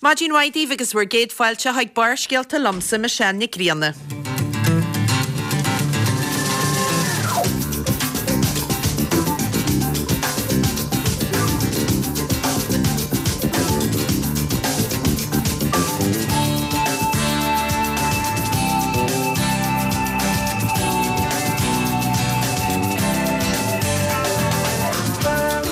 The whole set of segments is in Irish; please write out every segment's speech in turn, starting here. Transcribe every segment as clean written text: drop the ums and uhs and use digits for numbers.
Maidin mhaith daoibh agus bhur gcéad fáilte chuig Barrscéalta liomsa, Michelle Nic Grianna.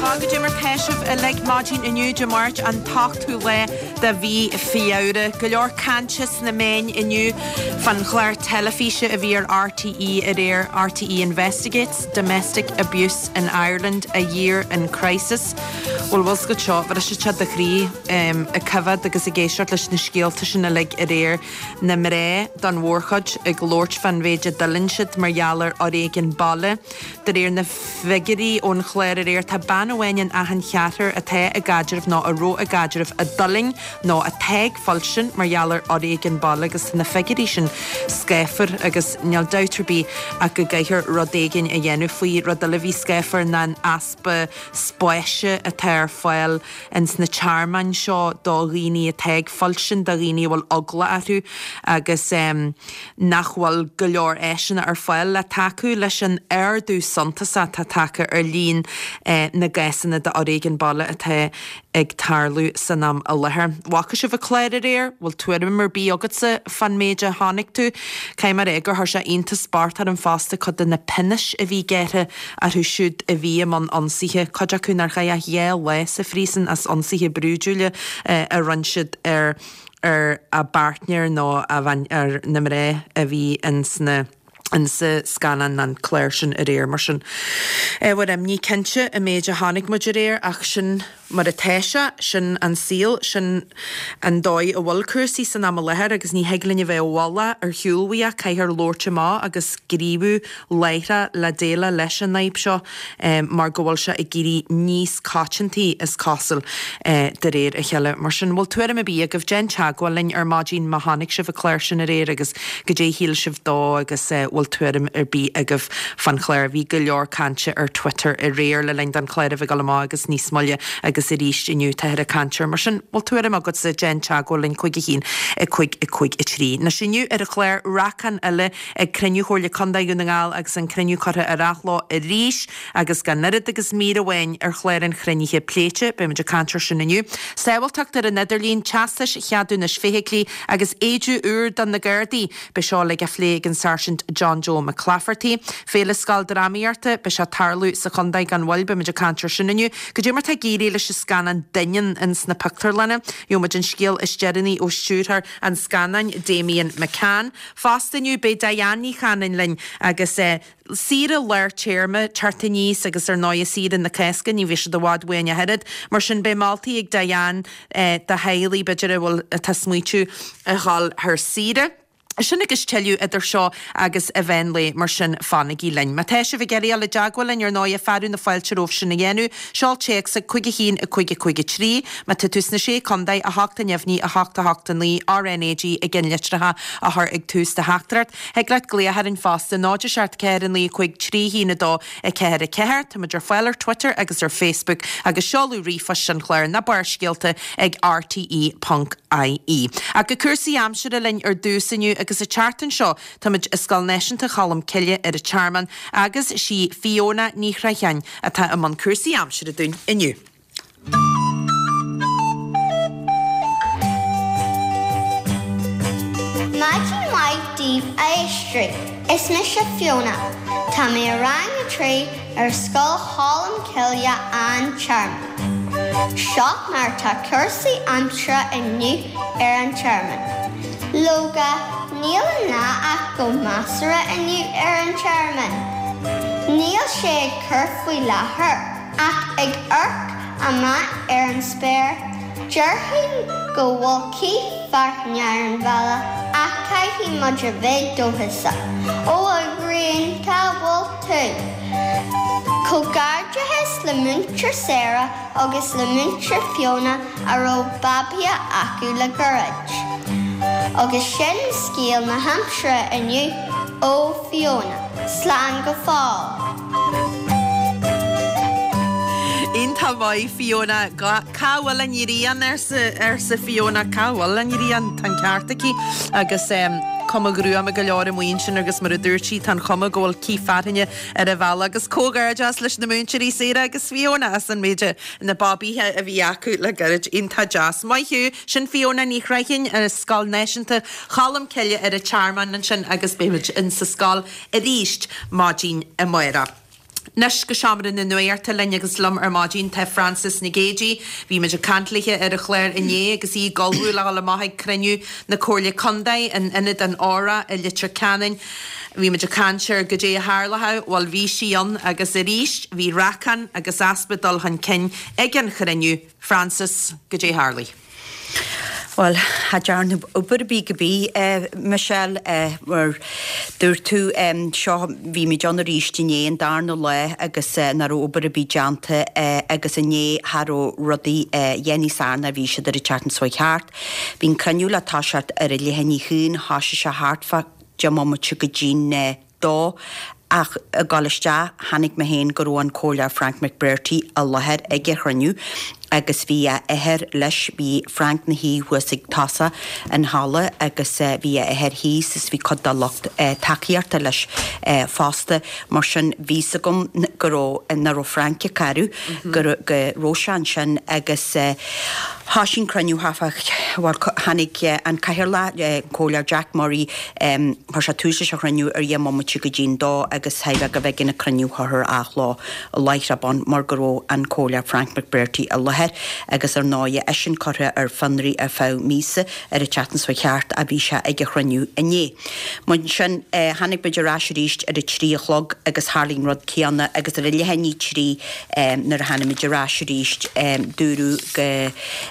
Tá, goidé mar tá sibh uilig maidin inniu Dé Máirt an t-ochtú lá de mhí Feabhra. Go leor cainte sna meáin inniu fán chlár teilifíse a bhí ar RTÉ aréir, RTÉ Investigates, Domestic Abuse in Ireland, A Year in Crisis. Bhuel, bhfuil 's agat seo, bhris sé do chroí ag coimhéad agus ag éisteacht leis na scéalta sin uilig aréir, na mná don mhórchuid ag labhairt fán mhéid a d'fhulaing siad mar gheall ar fhoréigean baile. De réir na bhfigiúirí ón chlár aréir, tá bean amháin in achan cheathrar atá i gcaidreamh nó a raibh i gcaidreamh a d'fhulaing nó atá ag fuilsint mar gheall ar fhoréigean baile agus tá na figiúirí sin scáfar agus níl dabht ar bith ach go gcaithfear rud éigin a dhéanamh faoi. Rud eile a bhí scáfar ná an easpa spáis atá ar fáil ins na tearmainn seo do dhaoine atá ag fuilsint, do dhaoine a bhfuil eagla orthu agus nach bhfuil go leor áiseanna ar fáil le tacú leis an ardú suntasach atá tagtha ar líon na gcásanna d'fhoréigean baile atá ag tarlú san am i láthair. Bhfaca sibh an clár aréir? Bhfuil tuairim ar bith agatsa fán méid a chonaic tú? Caithfidh mé a rá gur chuir sé iontas bocht orm fosta cuid de na pionóis a bhí gearrtha orthu siúd a bhí i mbun ionsaithe, cuid acu nár chaith ach 2 lá sa phríosún as ionsaithe brúidiúla a rinne siad ar ar a bpáirtnéir nó a bhean ar na mná a bhí ins na insa scannán an clár sin aréir. Mar sin, ábhar imní cinnte an méid a chonaic muid aréir ach sin mar atá sé, sin an saol, sin an dóigh a bhfuil cúrsaí san am i láthair agus ní thig linn a bheith i bhfolach ar shiúl uaidh ach caithfear labhairt amach agus gníomhú láithreach le déileáil leis an fhadhb seo mar go bhfuil sé ag éirí níos coitianta, is cosúil, de réir a chéile. Mar sin, bhfuil tuairim ar bith agaibh, déan teagmháil linn ar maidin má chonaic sibh an clár sin aréir agus goidé a shíl sibh dó agus bhfuil tuairim ar bith agaibh fán chlár. Bhí go leor cainte ar Twitter aréir le linn don chlár a bheith ag dul amach agus níos moille agus arís inniu táthar ag caint air. Mar sin, bhfuil tuairim agatsa, déan teagmháil linn 5 1 5 5 3. Anois inniu ar an chlár, racán eile ag cruinniú Chomhairle Contae Dhún na nGall agus an cruinniú curtha ar athló arís agus gan oiread agus mír amháin ar chlár an chruinnithe pléite. Beidh muid ag caint air sin inniu. Sábháilteacht ar an idirlíon, teastais cheadúnais feithiclí agus éide úr do na Gardaí. Beidh seo uilig á phlé ag an Sáirsint John Joe McClafferty. Féile Scoildrámaíochta, beidh sé ag tarlú sa chontae gan mhoill, beidh muid ag caint air sin inniu. Goidé mar tá ag éirí leis an scannán Doineann ins na pictiúrlanna. Gheobhaidh muid an scéal is deireanaí ó stiúrthóir an scannáin, Damian McCann. Fosta inniu beidh Diane Ní Chanainn linn agus saoire lár téarma teacht aníos agus ar ndóigh saoire na Cásca, ní bheidh siad i bhfad uainn ach oiread. Mar sin beidh moltaí ag Diane do theaghlaigh b'fhéidir a bhfuil, atá ag smaoitiú a dhul ar saoire. Sin agus tuilleadh idir seo agus an mheán lae, mar sin fanaigí linn. Má tá sibh ag iarraidh dul i dteagmháil linn ar ndóigh fearadh na fáilte romhaibh sin a dhéanamh. Seol téacs ag 5 1 5 5 3. Má tá tú sna Sé Contae, 8 neamhní, 8 8 9, RnaG i gceannlitreacha a chur ag tús do theachtaireacht. Thig leat glaoch orainn fosta, 0 7 4 9 5 3 1 2 4 4. Táimid ar fáil ar Twitter agus ar Facebook agus seoladh ríomhphoist an chláir ná Barrscéalta ag rte ponc ie. Ach go cúrsaí aimsire linn ar dtús inniu agus an tseachtain seo táimid i Scoil Náisiúnta Cholm Cille ar an Tearmann agus sí Fiona Ní Chreacháin atá i mbun cúrsaí aimsire dúinn inniu. Maidin mhaith daoibh a éisteoirí. Is mise Fiona. Tá mé i rang a 3 ar Scoil Cholm Cille An Tearmann. Seo mar atá cúrsaí aimsire inniu ar an Tearmann. Leoga, níl an lá ach go measartha inniu ar an Tearmann. Níl sé ag cur faoi láthair. Ach ag amharc amach ar an spéir, déarfainn go bhfuil cith fearthainne ar an bhealach ach caithfidh muid a bheith dóchasach. Ó a ghrian, cá bhfuil tú? Comhghairdeachas le Múinteoir Sarah agus le Múinteoir Fiona a raibh babaithe acu le gairid. Agus sin scéal na haimsire inniu ó Fiona. Slán go fóill. Iontach maith, Fiona. Cá bhfuil an ghrian, arsa Fiona. Cá bhfuil an ghrian? Tá an ceart aici. Agus cuma ghruama go leor amuigh ansin agus mar a dúirt sí, tá an chuma go bhfuil cith fearthainne ar an bhealach. Agus comhghairdeas leis na múinteoirí Sarah agus Fiona as an méid na babaithe a bhí acu le gairid. Iontach deas. Maith thú. Sin Fiona Ní Chreidhinn as Scoil Náisiúnta Cholm Cille ar an Tearmann ansin agus beidh muid in sa scoil arís maidin amárach. Anois go seomra na nuachta linn agus liom ar maidin tá Frances Nic Géadaigh. Bhí muid ag caint léithe ar an chlár inné agus í ag ullmhú le dhul amach ag cruinniú na Comhairle Contae in Ionad an Óra i Leitir Ceanainn. Bhí muid ag caint ar goidé a tharlódh, bhuel bhí sí ann agus arís bhí racán agus easpa dul chun cinn ag an chruinniú. Frances, goidé a tharlaigh? Bhuel, cha dearnadh obair ar bith go bith, Michelle, mar dúirt tú, seo, bhí muid ann arís inné, an darna lá agus nach raibh obair ar bith déanta agus inné cha raibh rudaí a dhath níos fearr ná bhí siad ar an tseachtain seo thart. Bhí an cruinniú le toiseacht ar a leath i ndiaidh a haon, thoisigh sé thart fá deich mbomaite go dtí'n dó ach ag dul isteach chonaic mé féin go raibh an Comhairleoir Frank McBrearty i láthair ag an chruinniú agus bhí a athair leis, bhí Frank 'na shuí thuas ag tosach an halla agus bhí a athair thíos is bhí cuid dá lucht tacaíochta leis fosta. Mar sin bhí 's agam go raibh, nach raibh Frank ag cabhrú, go raibh sé ansin agus thoisigh an cruinniú thart fá, bhuel tháinig an Cathaoirleach, an Comhairleoir Jack Murray, Chuir sé tús leis an chruinniú ar dheich mbomaite go dtí'n dó agus theadh go bhfeicfinn an cruinniú curtha ar athló láithreach bonn mar go raibh an Comhairleoir Frank McBrearty i láthair agus ar ndóighe eisean curtha ar fionraí ar feadh míosa ar an tseachtain seo thart ach bhí sé ag an chruinniú inné. Mar sin tháinig muid ar ais arís ar a trí a chlog agus tharlaigh an rud céanna agus ar a leath i ndiaidh trí nuair a tháinig muid ar ais arís dúradh go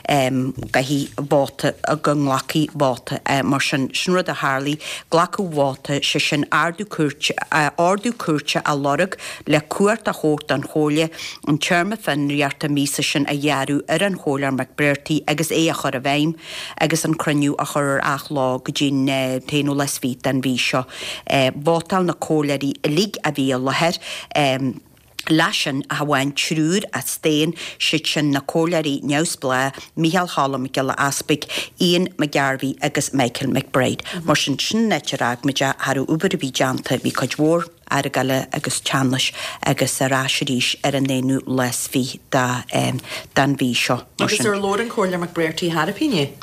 gcaithfí vóta, go nglacfaí vóta. Mar sin, sin rud a tharlaigh, glacadh vóta, sé sin ardú cúirte, ordú cúirte á lorg le cumhacht a thabhairt don Chomhairle an téarma fionraíochta míosa sin a ghearradh ar an Chomhairleoir McBrearty agus é a chur i bhfeidhm agus an cruinniú a chur ar athló go dtí an t-aonú lá is fiche den mhí seo. Vótáil na comhairleoirí uilig a bhí i láthair. Leis sin, ach amháin triúr a staon, siad sin na comhairleoirí neamhspleách Micheál Choilm Mac Giolla Easpaig, Ian McGarvey agus Michael McBride. Mar sin, sin an áit ar fhág muid é, cha raibh obair ar bith déanta, bhí cuid mhór argála agus teannais agus ar ais arís ar an aonú lá is fiche den mhí seo. Mar sin. Agus ar labhair an Comhairleoir McBrearty tharaibh inné?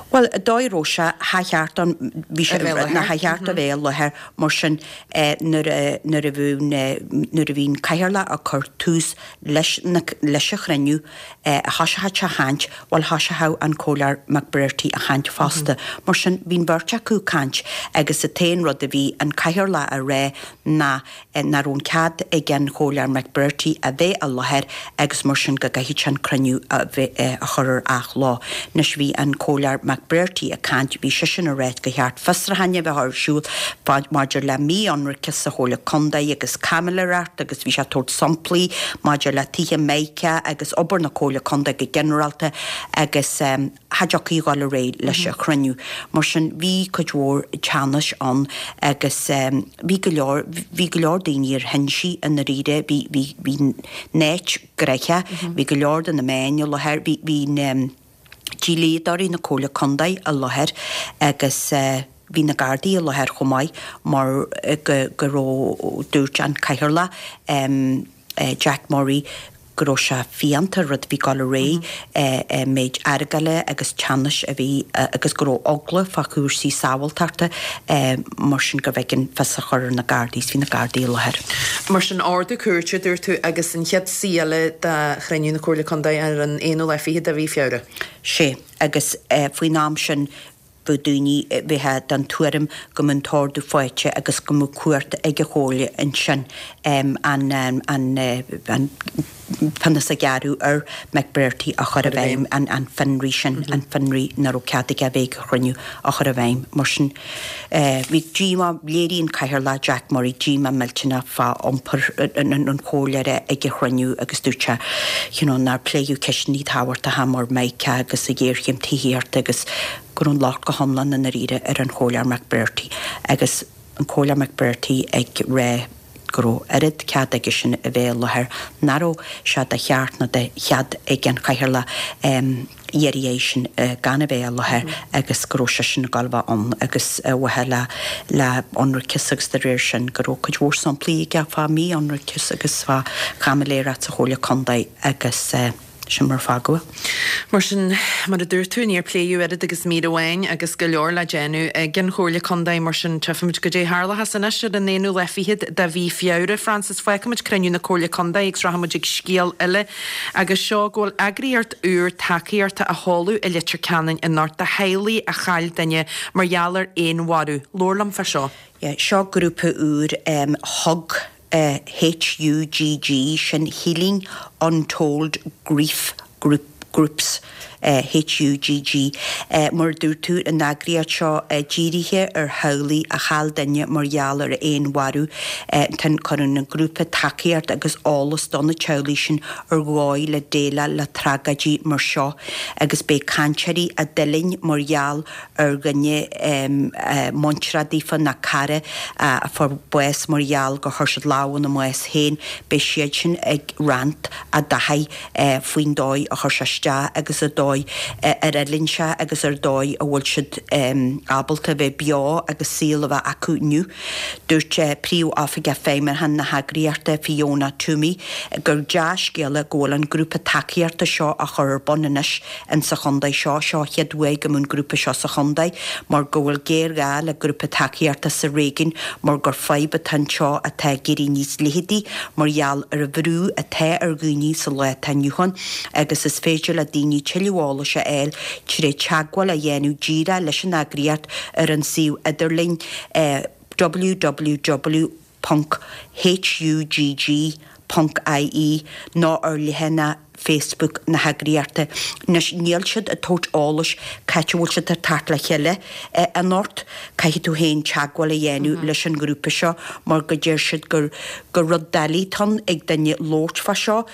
Bhuel, an dóigh a raibh sé, cha cheart dó, bhí sé, ná cha cheart dó bheith i láthair, mar sin nuair a, nuair a bhí, nuair a bhí an cathaoirleach ag cur tús leis na, leis an chruinniú, thoiseochadh sé a chaint, bhuel thoiseochadh an Comhairleoir McBrearty a chaint fosta. Mar sin bhí an bheirt acu ag caint agus an t-aon rud a bhí an cathaoirleach a rá ná nach raibh an cead ag an Chomhairleoir McBrearty a bheith i láthair agus mar sin go gcaithfeadh sé an cruinniú a chur ar athló. Anois bhí an Comhairleoir McBrearty ag caint, bhí seisean ag ráit gur cheart fiosrúcháin a bheith ar siúl maidir le mí-ionraiceas sa Chomhairle Contae agus caimiléireacht agus bhí sé ag tabhairt samplaí maidir le tithe Meiceá agus obair na Comhairle Contae go ginearálta agus cha dtiocfaí a dhul ar aghaidh leis an chruinniú. Mar sin, bhí cuid mhór teannais ann agus bhí go leor, bhí go leor daoine ar hinsí i ndáiríre, bhí, bhí, bhí an áit gnoitheach, bhí go leor de na meáin i láthair, bhí, bhí na dlíodóirí na Comhairle Contae i láthair agus bhí na Gardaí i láthair chomh maith mar go, go raibh, dúirt an Cathaoirleach, Jack Murray, go raibh sé fiánta rud a bhí ag dul ar aghaidh, an méid argála agus teannais a bhí agus go raibh eagla fá chúrsaí sábháilteachta mar sin gurbh éigean fios a chur ar na Gardaí is bhí na Gardaí i láthair. Mar sin, ordú cúirte, a dúirt tú, agus an chéad suí eile de chruinniú na Comhairle Contae ar an aonú lá fichead de mhí Feabhra. Sea, agus faoin am sin Bheadh daoine, bheifeá den tuairim go mbeadh an t-ordú faighte agus go mbeadh cumhacht ag an Chomhairle ansin an an pionós a ghearradh ar McBrearty a chur i bhfeidhm, an fionraí sin, an fionraí nach raibh cead aige a bheith ag an chruinniú a chur i bhfeidhm. Mar sin, bhí díomá, léirigh an Cathaoirleach Jack Murray díomá millteanach fá iompar an chomhairleora ag an chruinniú agus dúirt sé you know nár pléadh ceisteanna tábhachtacha mar Mica agus an ghéarchéim tithíochta agus go raibh an locht go hiomlán i ndáiríre ar an Chomhairleoir McBrearty agus an Comhairleoir McBrearty ag rá. go raibh oiread cead aigesean a bheith i láthair nach raibh sé de cheart ná de chead ag an chathaoirleach iarraidh airsean gan a bheith i láthair agus go raibh seisean ag dul a bheith ann agus ar mhaithe le le hionraiceas agus de réir sin go raibh cuid mhór samplaí aige fá mhí-ionraiceas agus fá chaimiléireacht sa Chomhairle Contae agus sin mar a fágadh é. Mar sin, mar a dúirt tú, níor pléadh oiread agus mír amháin agus go leor le déanamh ag an Chomhairle Contae, mar sin tchífimid goidé a tharlóchas anois ar an aonú lá fichead de mhí Feabhra. Frances, fágfaimid cruinniú na Comhairle Contae agus rachaimid ag scéal eile agus seo go bhfuil eagraíocht úr tacaíochta á sheoladh i Leitir Ceanainn anocht do theaghlaigh a chaill duine mar gheall ar fhéinmharú. Labhair liom fá seo. Yeah, seo grúpa úr, HUG, H-U-G-G, sin Healing Untold Grief Group, Groups, HUGG. Mar a dúirt tú, an eagraíocht seo dírithe ar theaghlaigh a chaill duine mar gheall ar fhéinmharú. Tá cuireann an grúpa tacaíocht agus eolas do na teaghlaigh sin ar dhóigh le déileáil le tragóidí mar seo agus beidh cainteoirí a d'fhulaing mar gheall ar dhuine muinteartha daofa nó cara a fuair bás mar gheall gur chuir siad lámh ina mbás féin, beidh siad sin ag roinnt a dtaithí faoin dóigh a chuir sé isteach agus an dóigh ar fhulaing sé agus ar dóigh a bhfuil siad ábalta a bheith beo agus saol a bheith acu inniu. Dúirt Príomh-Oifigeach Feidhmiúcháin na heagraíochta, Fiona Toomey, gur dea-scéala go bhfuil an grúpa tacaíochta seo á chur ar bun anois insa chontae seo. Seo an chéad uair go mbeidh an grúpa seo sa chontae mar go bhfuil géarghá le grúpa tacaíochta sa réigiún mar gur fadhb atá anseo atá ag éirí níos leitheadaí mar gheall ar an bhrú atá ar dhaoine sa lá atá inniu ann agus is féidir le daoine tuilleadh eolais a fháil tré teagmháil a dhéanamh díreach leis an eagraíocht ar an suíomh idirlín www. hugg. ie nó ar leathanach Facebook na heagraíochta. Anois, níl siad ag tabhairt eolais cá háit a bhfuil siad ag teacht le chéile anocht. Caithfidh tú féin teagmháil a dhéanamh leis an ngrúpa seo mar go deir siad gur gur rud doiligh atá ann ag duine labhairt fá seo,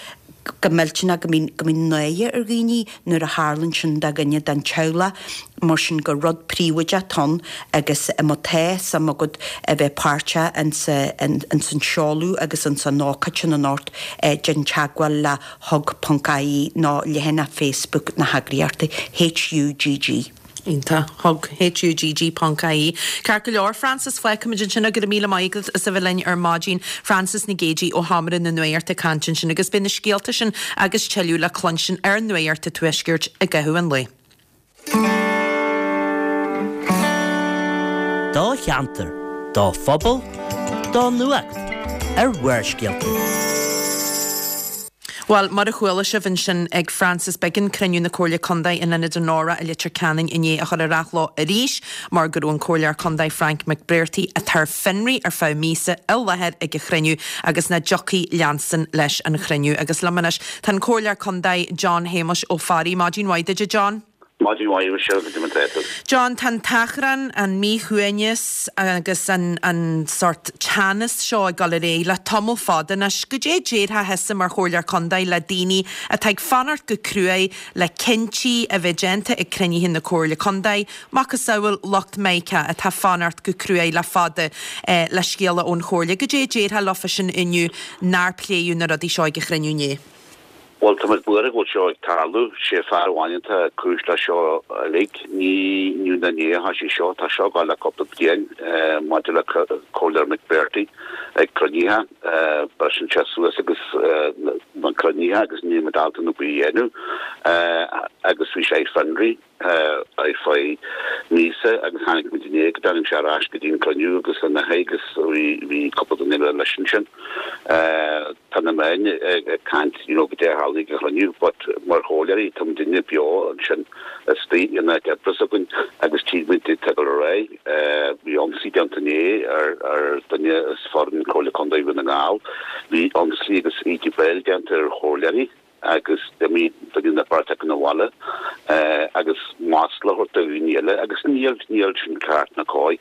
go millteanach go mbíonn go mbíonn náire ar dhaoine nuair a tharlaíonn sin do dhuine den teaghlach, mar sin gur rud príobháideach atá ann agus má tá suim agat a bheith páirteach ins an seoladh agus ins an ócáid sin anocht, déan teagmháil le hugg ponc ie nó leathanach Facebook na heagraíochta, HUGG. Iontach. Hugg, H-U-G-G ponc I-E. Ceart go leor, Frances, fágfaimid ansin é. Go raibh míle maith agat as a bheith linn ar maidin. Frances Nic Géadaigh ó Sheomra na Nuachta ag caint ansin agus beidh na scéalta sin agus tuilleadh le cluinstin ar Nuacht an Tuaiscirt i gcaitheamh an lae. Do cheantar, do phobal, do nuacht ar Bharrscéalta. Bhuel, mar a chuala sibh ansin ag Frances, b'éigean cruinniú na Comhairle Contae in Ionad Onora i Leitir Ceanainn inné a chur ar athló arís mar go raibh an Comhairleoir Contae Frank McBrearty, atá ar fionraí ar feadh míosa, i láthair ag an chruinniú agus nach dtiocfaí leanstan leis an chruinniú. Agus liom anois tá an Comhairleoir Contae John Shéamuis Ó Fearraigh. Maidin mhaith duit, a John. Maidin mhaith, Michelle, goidé mar tá tú? John, tá an t-achrann, an míshuaimhneas agus an an sórt teannas seo ag dul ar aghaidh le tamall fada anois. Goidé a déarfá thusa mar Chomhairleoir Contae le daoine atá ag fanacht go cruaidh le cinntí a bheith déanta ag cruinnithe na Comhairle Contae, macasamhail lucht Meiriceá atá fanacht go cruaidh le fada le scéala ón Chomhairle. Goidé a déarfá leofa sin inniu nár pléadh na rudaí seo ag an chruinniú inné? Bhuel, tá muid buartha go bhfuil seo ag tarlú. Sé fear amháin atá cúis le seo uilig. Ní inniu ná inné a thoisigh seo, tá seo ag gabháil le cúpla bliain maidir le Comhairleoir McBrearty ag cruinnithe. Briseann sé suas agus na cruinnithe agus níl muid ábalta rud ar bith a dhéanamh agus bhí sé ar fionraí. ar feadh míosa agus tháinig muid inné go dtáinig sé ar ais go dtí an cruinniú agus ina aghaidh agus bhí cúpla duine eile leis ansin. Tá na meáin ag caint you know goidé a tharla ag an chruinniú but mar chomhairleoirí tá muidinne beo ansin istigh in áit oibre s'againn agus tchí muid ag dul ar aghaidh. Bhí ionsaí déanta inné ar ar duine as foireann Comhairle Contae Dhún na nGall. Bhí ionsaí agus íde béil déanta ar chomhairleoirí. agus d'imigh duine nó beirt acu 'na bhaile agus masla a thabhairt do dhaoine eile agus níl, níl sin ceart ná cóir.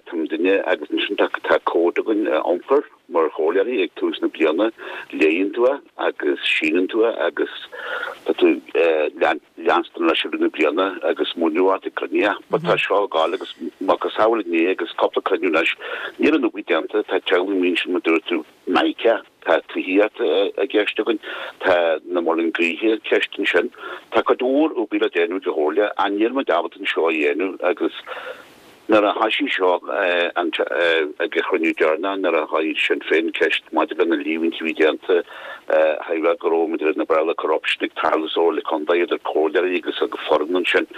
Tá muidinne agus ansin tá, tá cód againn iompair mar chomhairleoirí ag tús na bliana, léann tú é agus síneann tú é agus tá tú leanstan leis i rith na bliana agus múineadh ort ag cruinnithe. But tá seo ag gabháil agus. Macasamhail inné agus cúpla cruinniú anois, níl an obair déanta, tá teaghlaigh amuigh ansin mar dúirt tú, Micah, tá tithíocht i gceist againn, tá na muileann gaoithe i gceist ansin. Tá cuid mhór obair le déanamh ag an Chomhairle ach níl muid ábalta an seo a dhéanamh agus nuair a thoisigh seo ag an chruinniú deireanach nuair a chuir Sinn Féin ceist maidir le na líomhaintí a bhí déanta a rá go raibh maidir le Béarla corruption ag tarlú sa Chomhairle Contae idir comhairleoirí agus foireann ansin.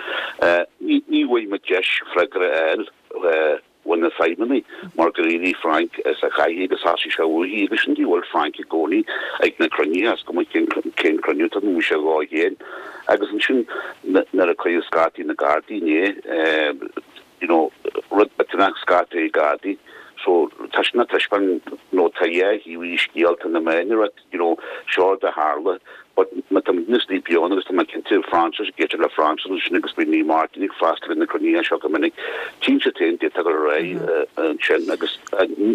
Ní bhfuair muid deis freagra a fháil. ó na feidhmeannaigh mar gur éirigh Frank as a chathaoir agus thosaigh sé uaithi agus sin dóigh a bhfuil Frank i gcónaí ag na cruinnithe, is cuma cén cén cruinniú atá ann, bhí sé dhá chéin agus ansin nuair a cuireadh scata na Gardaí inné you know rud millteanach scata Gardaí so tá sin ag taispeáint nó tá dhá thaobh an scéil tá na meáin ag rá you know, seo rud a tharla, but má tá muidne istigh beo ann agus tá mé cinnte Francis, ag éisteacht le Francis ansin agus bíonn Naomh Máirtín ag freastal ar na cruinnithe seo go minic, tchíonn siad féin d'fhéadfadh dul ar aghaidh ansin agus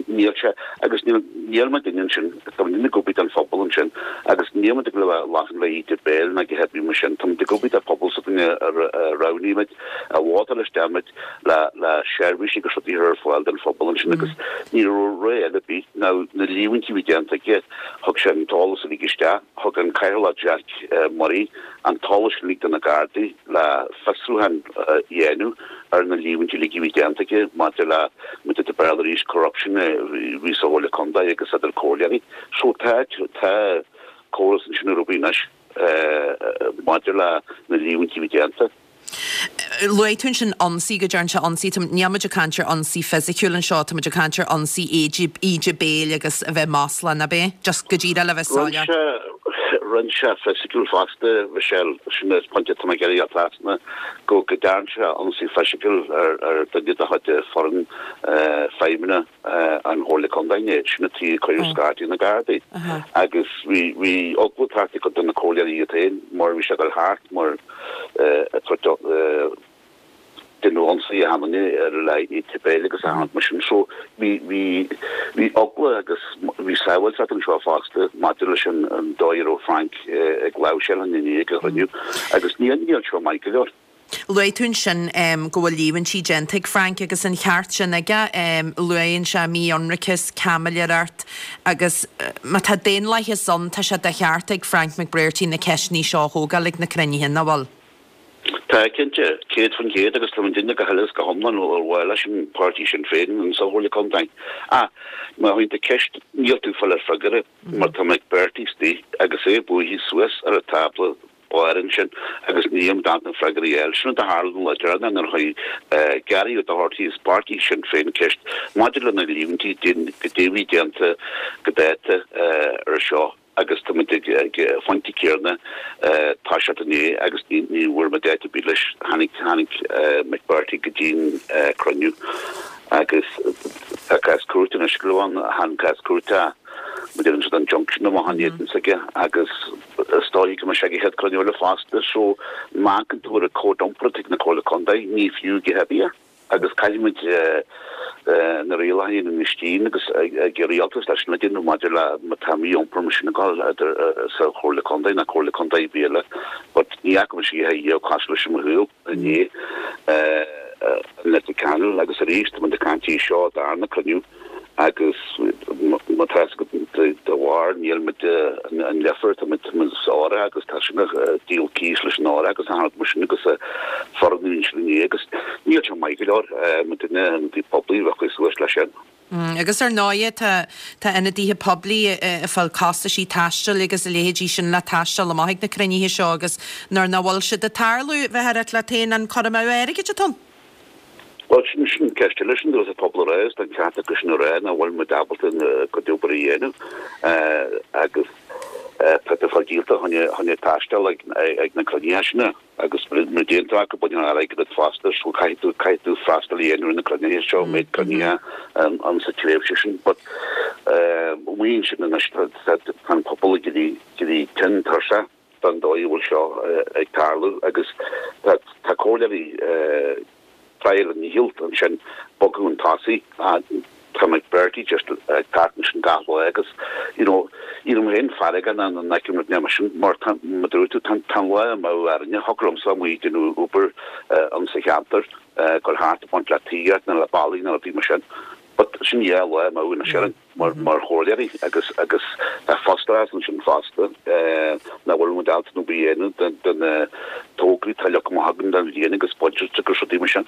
níl sé, agus níl, níl muidinne ansin, tá muidinne ag obair don phobal ansin agus níl muid ag dul a bheith laughing le íde béil ná go heibí mar sin, tá muid ag obair do phobal s'againne a roghnaigh muid, a vótáil isteach muid le, le seirbhísí agus rudaí a chur ar fáil don phobal ansin agus ní raibh rogha eile ar bith ná na líomhaintí a bhí déanta aige, thug sé an t-eolas uilig isteach, thug an Cathaoirleach Jack Murray an t-eolas uilig do na Gardaí le fiosrúchán a dhéanamh ar na líomhaintí uilig a bhí déanta aige maidir le, maidir le Béarla arís, corruption a bhí sa Chomhairle Contae agus idir comhairleoirí. So tá, tá córas ansin ar obair anois maidir le na líomhaintí a bhí déanta. Luaigh tú ansin ionsaí, go dtearn sé ionsaí, níl muid ag caint ar ionsaí fisiciúil anseo, tá muid ag caint ar ionsaí íde, íde béil agus a bheith maslach, nach ea? Just go díreach le bheith soiléir. Rinne sé fisiciúil fosta, Michelle, sin an pointe atá mé ag iarraidh a thrasna, go go dtearn sé ionsaí fisiciúil ar duine de chuid foireann feidhmeanna an Chomhairle Contae inné, sin an tuige a cuireadh scata na Gardaí agus bhí bhí eagla thart ag cuid de na comhairleoirí iad féin mar bhí sé ag dul thart mar ag tabhairt déanamh ionsaí a tháinig ar a leith íde béil agus a tháinig mar sin so bhí bhí bhí eagla agus bhí sábháilteacht anseo fosta maidir leis an an dóigh a raibh Frank ag láimhseáil an inné ag an chruinniú agus níl níl seo maith go leor. Luaigh tú ansin go bhfuil líomhaintí déanta ag Frank agus an cheart sin aige. Luann sé mí-ionracas, caimiléireacht agus má tá daonlathas ann tá sé de cheart ag Frank McBrearty na ceisteanna seo a thógáil ag na cruinnithe, nach bhfuil? Tá, cinnte. 100% agus tá muidinne go huile is go hiomlán ar mhaith leis an páirtí Sinn Féin in sa Chomhairle Contae. Ach má théann tú ceist níl tú ag fáil freagra mar tá McBrearty istigh agus é buaithe suas ar an tábla báire ansin agus níl muid ábalta freagra a fháil. Sin rud a tharla an lá deireanach nuair a chuir Gary O'Doherty as páirtí Shinn Féin ceist maidir le na líomhaintí goidé a bhí déanta go dáta ar seo agus tá muid ag an phointe céanna toiseacht inné agus ní bhfuair muid áit ar bith leis. Tháinig tháinig McBrearty go dtí'n cruinniú agus tá cás cúirte anois go raibh ann, tháinig cás cúirte mar deireann siad an junction amach an éadan s'aige agus is dóigh go mbeidh sé ag an chéad cruinniú eile fosta so má amharcann tú ar an cód iompair atá ag na Comhairle Contae ní fiú a dhath ar bith é agus caithfidh muid na rialacha a dhéanamh agus ag an rialtas leis na déanamh maidir le má tá mí-iompar mar sin ag dul idir sa Chomhairle Contae ná Comhairle Contae ar bith eile but ní fhaca mise a dhath cosúil leis i mo shaol inné Leitir Ceanainn agus arís tá muid ag caint faoi seo darna cruinniú agus má tá fhios agat de bharr níl muid an Leifear tá muid sa Aura agus tá sin ag díol cíos leis an Aura agus an mar sin agus foireann ansin inné agus níl sé maith go leor mar duine ionadaí poiblí bheadh cuid suas leis sin. Agus ar ndóighe tá tá ionadaithe poiblí ag fáil costaisí taistil agus a leithéidí sin le taisteal amach ag na cruinnithe seo agus nuair nach bhfuil siad ag tarlú bheifeá ag ráit leat féin an cur amú airgid atá ann. Bhuel, sin, sin ceist eile, sin dúirt an pobal a rá, is tá an ceart acu sin a rá nach bhfuil muid ábalta a gcuid obair a dhéanamh agus tá tú ag fáil díolta chun chun taisteal ag ag na cruinnithe sin agus mura dtéann tú acu baineann airgead díot fosta so caithfidh tú caithfidh tú freastal a dhéanamh ar na cruinnithe seo méid cruinnithe an sa tréimhse sin but maíonn sin anois tá tá an pobal ag éirí éirí tinn tuirseach. den dóigh a bhfuil seo ag tarlú agus tá comhairleoirí ag triail a ndícheall ansin bogadh chun tosaigh. Tá McBrearty just ag teacht ansin gach lá agus you know éirím féin feargach nuair a fheicim rud mar sin mar tá mar a dúirt tú tá an lá amú orainne thiocfadh liomsa amuigh ag déanamh obair ann sa cheantar ag gabháil thart ag baint le tithíocht nó le ballaí nó rudaí mar sin but sin é an lá amú anois orainn mar mar chomhairleoirí agus agus tá frustrachas ansin fosta nach bhfuil muid ábalta obair a dhéanamh de na tograí atá leagtha amach againn don bhliain agus budget agus rudaí mar sin.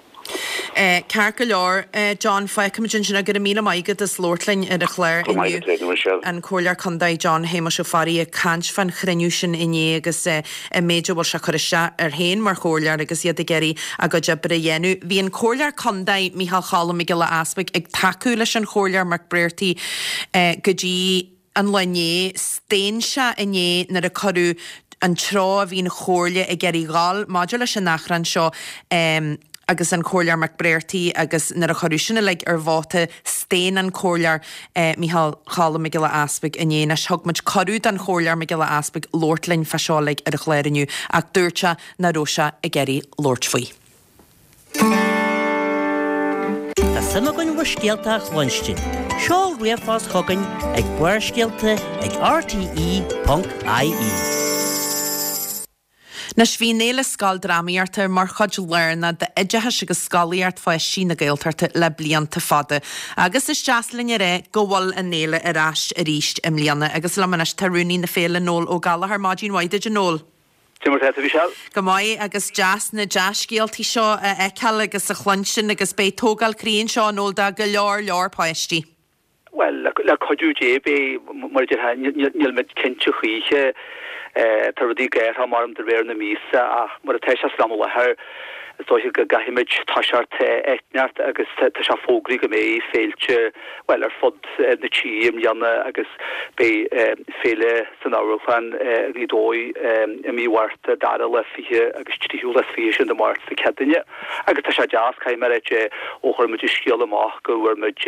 Ceart go leor, John, fágfaimid ansin é. Go raibh míle maith agat as labhairt linn ar an chlár inniu. An Comhairleoir Contae John Shéamuis Ó Fearraigh ag caint fán chruinniú sin inné agus an méid a bhfuil sé ag cur isteach air féin mar chomhairleoir agus iad ag iarraidh a gcuid oibre a dhéanamh. Bhí an Comhairleoir Contae Micheál Cholm Mac Giolla Easpaig ag tacú leis an Chomhairleoir McBrearty go dtí an lá inné, staon sé inné nuair a cuireadh an treo a bhí an Chomhairle ag iarraidh dhul maidir leis an achrann seo agus an Comhairleoir McBrearty agus nuair a cuireadh sin uilig ar vóta, staon an Comhairleoir Micheál Cholm Mac Giolla Easpaig inné. Anois thug muid cuireadh don Chomhairleoir Mac Giolla Easpaig labhairt linn fá seo uilig ar an chlár inniu ach dúirt sé nach raibh sé ag iarraidh labhairt faoi. Tá suim againn bhur scéalta a chluinstin. Seol ríomhphost chugainn ag barrscéalta ag rte.ie. Anois, bhí an Fhéile Scoildrámaíochta mar chuid lárnach d'oideachas agus scolaíocht pháistí na Gaeltachta le blianta fada. Agus is deas linn a rá go bhfuil an fhéile ar ais arís i mbliana. Agus liom anois tá Rúnaí na Féile, Noel Ó Gallchóir. Maidin mhaith duit, a Noel. Cé mar atá tú, Michelle? Go maith, agus deas na dea-scéaltaí seo a fheiceáil agus a chluinstin agus beidh tógáil croí anseo, a Noel, do go leor leor páistí. Bhuel, le cuidiú Dé beidh, mar a déarfá, níl muid cinnte choíche, tá rudaí ag athrú mar de réir na míosa ach mar atá sé san am i láthair, is dóiche go gcaithfimid toiseacht eitneacht agus tá sé fógraithe go mbeidh féilte, bhuel, ar fud na tíre i mbliana agus beidh féile san amharclann i nGaoth Dobhair i mí Mhárta, dara lá 20 agus tríú lá 20 sin de Mháirt sa Chéadaoine. Agus tá sé deas, caithfidh mé a ráit, ó chuir muid an scéal amach go bhfuair muid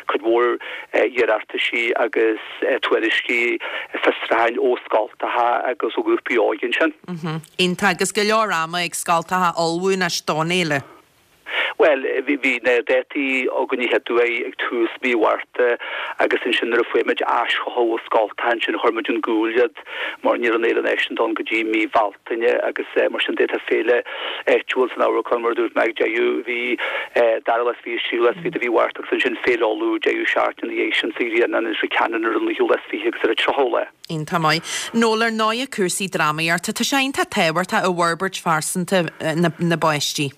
cuid mhór iarrataisí agus tuairiscí fiosrúcháin ó scoltacha agus ó ghrúpaí óige ansin. Iontach, agus go leor ama ag scoltacha ullmhú anois don fhéile. Bhuel, bhí na dátaí againn an chéad uair ag tús mí Mhárta agus ansin nuair a fuair muid aischothú ó scoltacha ansin chuir muid chun cúil iad mar ní raibh an Fhéile Náisiúnta ann go dtí mí Bhealtaine agus mar sin de tá féile áitiúil san amharclann mar a dúirt mé ag deireadh mhí dara lá is 20 is tríú lá is 20 de mhí Mhárta agus ansin Féile Uladh deireadh seachtaine ina dhiaidh sin sa Ghrianán in Leitir Ceanainn ar an naoú lá is 20 agus ar an tríochú lá. Iontach maith. Noel, ar ndóighe cúrsaí drámaíochta, tá sé iontach tábhachtach i bhforbairt phearsanta na bpáistí.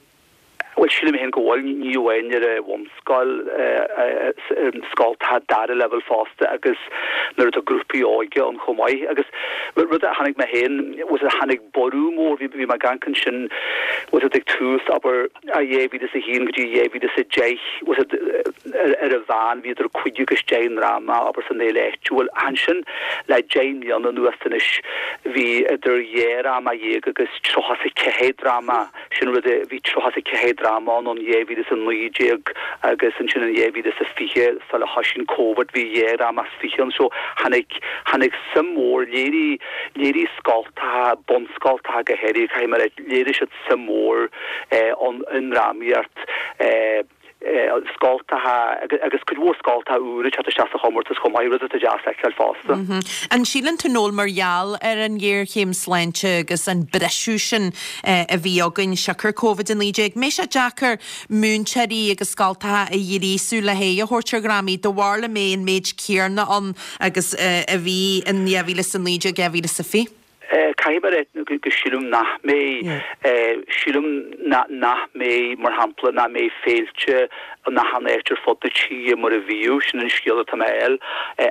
Bhuel, sílim féin go bhfuil, ní amháin ar an bhunscoil, ar scoltacha dara leibhéal fosta agus nuair atá grúpaí óige ann chomh maith. Agus rud a chonaic mé féin, bhfuil a fhios agat, tháinig borradh mór, bhí mé ag amharc ansin, bhfuil a fhios agat, ag tús, abair, 2001 go dtí 2010, bhfuil a fhios agat, ar an mheán bhí idir cúig agus deich ndráma, abair, san fhéile áitiúil. Ach ansin, le deich mbliana anuas anois, bhí idir dhá dhráma dhéag agus 34 dráma. Sin rud a, bhí 34 dráma ann in 2019 agus ansin in 2020 sula thoisigh an Covid bhí dhá dhráma is fiche ann. So tháinig, tháinig suim mhór, léirigh, léirigh scoltacha, bunscoltacha go háirithe, caithfidh mé a rá, léirigh siad suim mhór ann i ndrámaíocht. Scoltacha agus cuid mhór scoltacha úra ag teacht isteach sa chomórtas chomh maith, rud atá deas a fheiceáil fosta. An síleann tú, Noel, mar gheall ar an ghéarchéim sláinte agus an briseadh sin a bhí againn siocair Covid-19, mbeidh sé deacair múinteoirí agus scoltacha a ghríosú le haghaidh a thabhairt ar dhrámaí, do bharúil an mbeidh an méid céarna ann agus a bhí in 2019, 2020? Caithfidh mé a rá go sílim nach mbeidh. Sílim nach mbeidh, mar shampla, nach mbeidh féilte in achan áit ar fud na tíre mar a bhíodh, sin an scéal atá mé a fháil,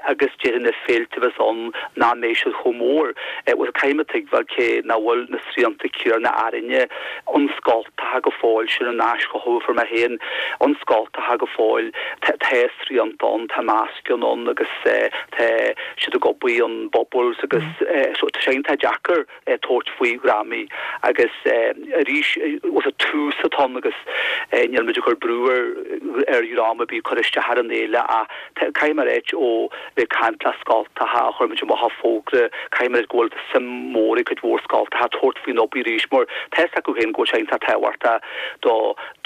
agus déarfainn na féilte a bheas ann nach mbeidh siad chomh mór. Bhuel, caithfidh mé tuigbheáil cé nach bhfuil na srianta céarna orainne in scoltacha go fóill, sin an aischothú a fuair mé féin, in scoltacha go fóill, tá srianta ann, tá mascanna ann agus tá siad ag obair in bubbles agus so tá sé iontach deacair tabhairt faoi dhrámaí agus arís bhfuil a fhios agat tús atá ann agus níl muid ag cur brú ar. ar dhráma ar bith cur isteach ar an fhéile ach caithfidh mé a ráit ó bheith ag caint le scoltacha a chuir muid amach an fógra, caithfidh mé a ráit go bhfuil suim mhór ag cuid mhór scoltacha tabhairt faoin obair arís mar tá fhios acu féin go bhfuil sé iontach tábhachtach do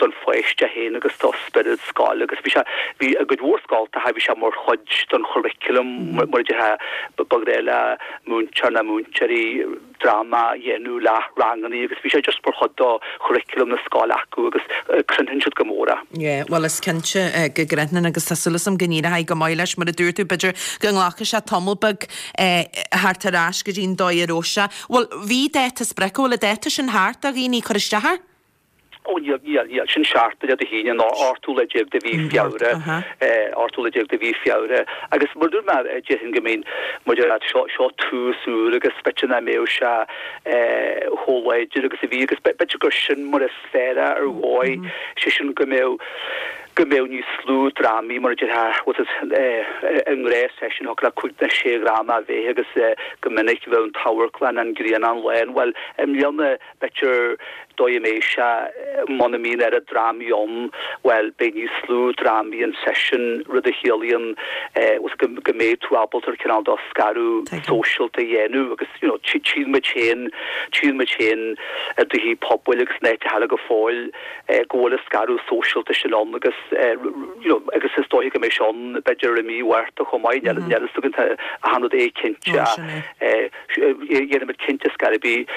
don pháiste féin agus do spiorad scoile agus bhí sé, bhí i gcuid mhór scoltacha bhí sé mar chuid den churriculum mar a déarfá ba ghnách le múinteoir nó múinteoirí dráma a dhéanamh le rangannaí agus bhí sé just mar chuid do churriculum na scoile acu agus crothnaíonn siad go mór é. Yeah, bhuel is cinnte go gcrothnaíonn agus tá súil agam go n-éireoidh go maith leis mar a dúirt tú b'fhéidir go nglacfaidh sé tamall beag theacht ar ais go dtí an dóigh a raibh sé. Bhuel bhí dáta sprice, bhfuil an dáta sin thart do dhaoine cur isteach air? Ó níl, níl, níl. Sin seachtain Dé hAoine an 18ú lá de mhí Feabhra, 18ú lá de mhí Feabhra. Agus mar a dúirt mé, déarfainn go mbíonn, maidir leat, seo, seo tús úr agus b'fhéidir nach mbeadh sé chomh láidir agus a bhí agus b'fhéidir gur sin mar is fearr é ar dhóigh, sé sin go mbeadh, go mbeadh níos lú drámaí mar a déarfá, bhfuil fhios agat, i ngnáthsheisiún thiocfadh le cúig nó sé dhráma a bheith agus go minic bheadh an t-amharclann, an Grianán lán. Bhuel, i mbliana, B'fhéidir dóigh a mbeidh sé, muna mbíonn oiread drámaí ann, bhuel, beidh níos lú drámaí an seisiún, rud a chiallaíonn go go mbeidh tú ábalta ar cineál de scaradh sóisialta a dhéanamh agus you know tchíonn muid féin, tchíonn muid féin i dtithe pobail agus in áiteacha eile go fóill go bhfuil an scaradh sóisialta sin ann agus you know agus is dóiche go mbeidh sé ann b'fhéidir i mí Mhárta chomh maith, níl a fhios againn, tá achan rud éiginnte ach Déanfaimid cinnte scor ar bith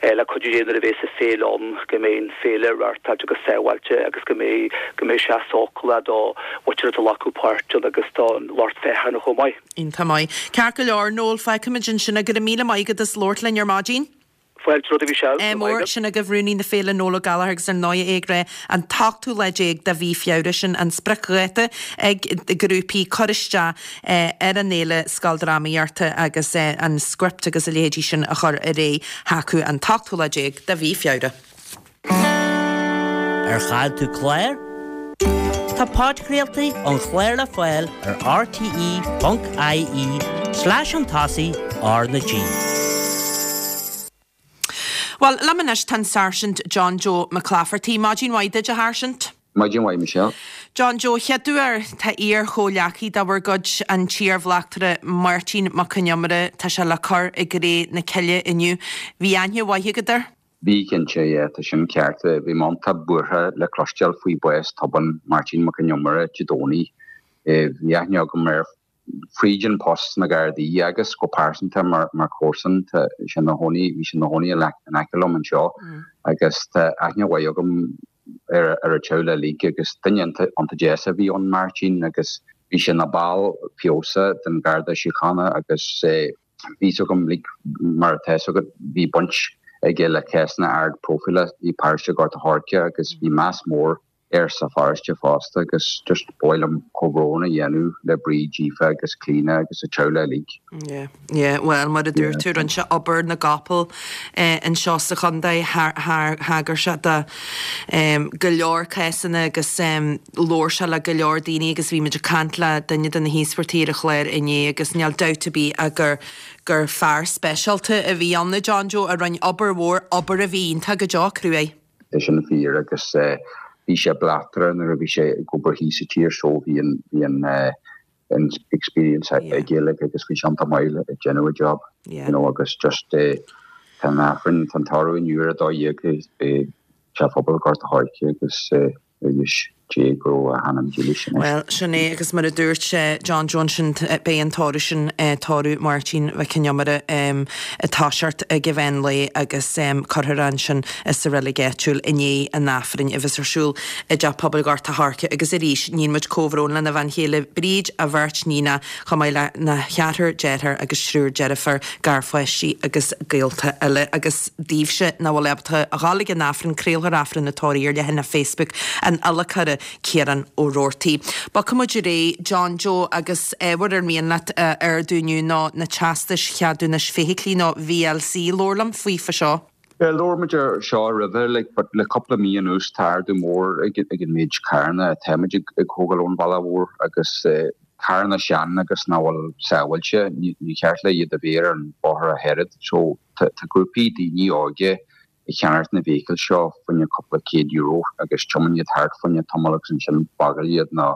le cuidiú Dé nuair a bheas an féile ann go mbeidh an féile reáchtáilte go sábháilte agus go mbeidh go mbeidh sé sócúlach do mhuintir atá ag glacadh páirt ann agus don lucht féachana chomh maith. Iontach maith. Ceart go leor, Noel, fágfaimid ansin é. Go raibh míle maith agat as labhairt linn ar maidin. Fáilte romhat a Mhichelle. Ádh mór. Sin agaibh Rúnaí na Féile Noel Ó Gallchóir agus ar ndóigh é ag rá an t-ochtú lá déag de mhí Feabhra sin an spriocdháta ag grúpaí cur isteach ar an fhéile scoildrámaíochta agus an script agus a leithéidí sin a chur ar aghaidh chucu an t-ochtú lá déag de mhí Feabhra. Ar chaill tú clár? Tá podchraoltaí an chláir le fáil ar rte.ie slash chun tosaigh R na G. Bhuel, liom anois tá an Sáirsint John Joe McClafferty. Maidin mhaith duit, a Sháirsint. Maidin mhaith, Michelle. John Joe, chéaduair, tá iar-chomhghleacaí de bhur gcuid, an t-iar-bhleachtaire Máirtín Mac Con Iomaire, tá sé le cur i gcré na cille inniu. Bhí aithne mhaith agat air? Bhí, cinnte, yeah, tá sin ceart. Bhí mé iontach buartha le cloisteáil faoi bhás tobann Máirtín Mac Con Iomaire Dé Domhnaigh. Bhí aithne agam air fríd an post sna Gardaí agus go pearsanta mar mar chomharsan. Tá sé ina chónaí, bhí sé ina chónaí in aice liom anseo agus tá aithne mhaith agam ar ar a theaghlach uilig agus duine iontach deas a bhí ann, Máirtín, agus bhí sé ina ball feabhasach den Gharda Síochána agus bhí fhios agam like mar atá fhios agat bhí baint aige le cásanna ard próifíle i bparóiste Ghort a' Choirce agus bhí meas mór air sa pharóiste fosta agus just ba mhaith liom comhbhrón a dhéanamh le Bríd, Aoife agus Clíona agus a teaghlach uilig. Yeah, yeah, bhuel mar a dúirt tú rinne sé obair na gcapall anseo sa chontae, thagair sé do go leor cásanna agus labhair sé le go leor daoine agus bhí muid ag caint le duine de na híospartaigh ar an chlár inné agus níl dabht ar bith ach gur gur fear speisialta a bhí ann, a John Joe, a rinne obair mhór, obair a bhí iontach go deo cruaidh. Tá sin fíor agus bhí sé bleachtaire nuair a bhí sé ag obair thíos sa tír so bhí an bhí an an experience aige like agus bhí sé iontach maith ag déanamh a job you know agus just tá an Aifreann tá an tórramh inniu ar a 12 i Teach Phobail Ghort a' Choirce agus ar dheis Dé go raibh a hanam dílis anois. Bhuel, sin é, agus mar a dúirt John Joe ansin, beidh an tórramh sin, tórramh Mháirtín Mhic Con Iomaire, ag toiseacht ag an mheán lae agus cuirfear é ansin sa reilig áitiúil i ndiaidh an Aifrinn a bheas ar siúl i dTeach Pobail Ghort a' Choirce. Agus arís, níonn muid comhbhrón lena bhean chéile Bríd, a bheirt níonacha, chomh maith lena cheathrar dearthár agus triúr deirfiúr, garpháistí agus gaolta eile. Agus daoibhse nach bhfuil ábalta a dhul ag an Aifreann, craolfar Aifreann an tórraimh ar leathanach Facebook an adhlacóra, Ciarán Ó Roarty. Bogfaidh muid ar aghaidh, John Joe, agus ábhar ar mian leat a ardú inniu ná na teastais cheadúnais feithiclí nó VLC. Labhair liom faoi fa seo. Yeah, labhair muid ar seo roimhe, like, but le cúpla mí anuas tá ardú mór ag an méid carranna atáimid ag thógáil ón bhealach mhór agus eh, carranna sean agus nach bhfuil sábháilte, ní cheart le iad a bheith ar an bóthar ach oiread. So tá grúpaí daoine óga. ag ceannacht na bhfeithicil seo fá choinne cúpla €100 agus tiomáin iad thart fá choinne tamall agus ansin fágáil iad nó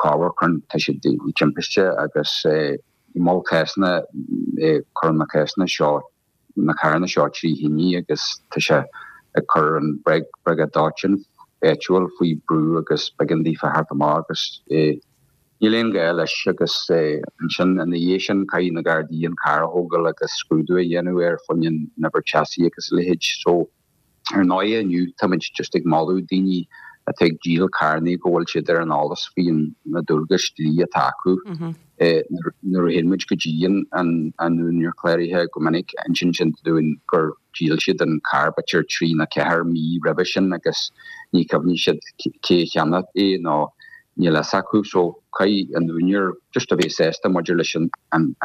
corruair cuireann tá siad i dtimpiste agus i mol cásanna cuireann na cásanna seo na carranna seo trí thine agus tá sé ag cur an briogáid dóiteáin áitiúil faoi brú agus b'éigean daofa theacht amach agus níl aon ghá leis agus ansin ina dhiaidh sin caithfidh na Gardaí an carr a thógáil agus scrúdú a dhéanamh air fá choinne an uimhir chassis agus a leithéid. So ar ndóigh inniu táimid just ag moladh daoine atá ag díol carrannaí go bhfuil siad ar an eolas faoi na dualgais dlí atá acu. Nuair a théann muid go dtí an úinéir cláraithe go minic insíonn siad dúinn gur dhíol siad an carr b'fhéidir trí nó ceathair mí roimhe sin agus ní cuimhníonn siad cé a cheannaigh é nó níl fhios acu so caithfidh an úinéir just a bheith sásta maidir leis an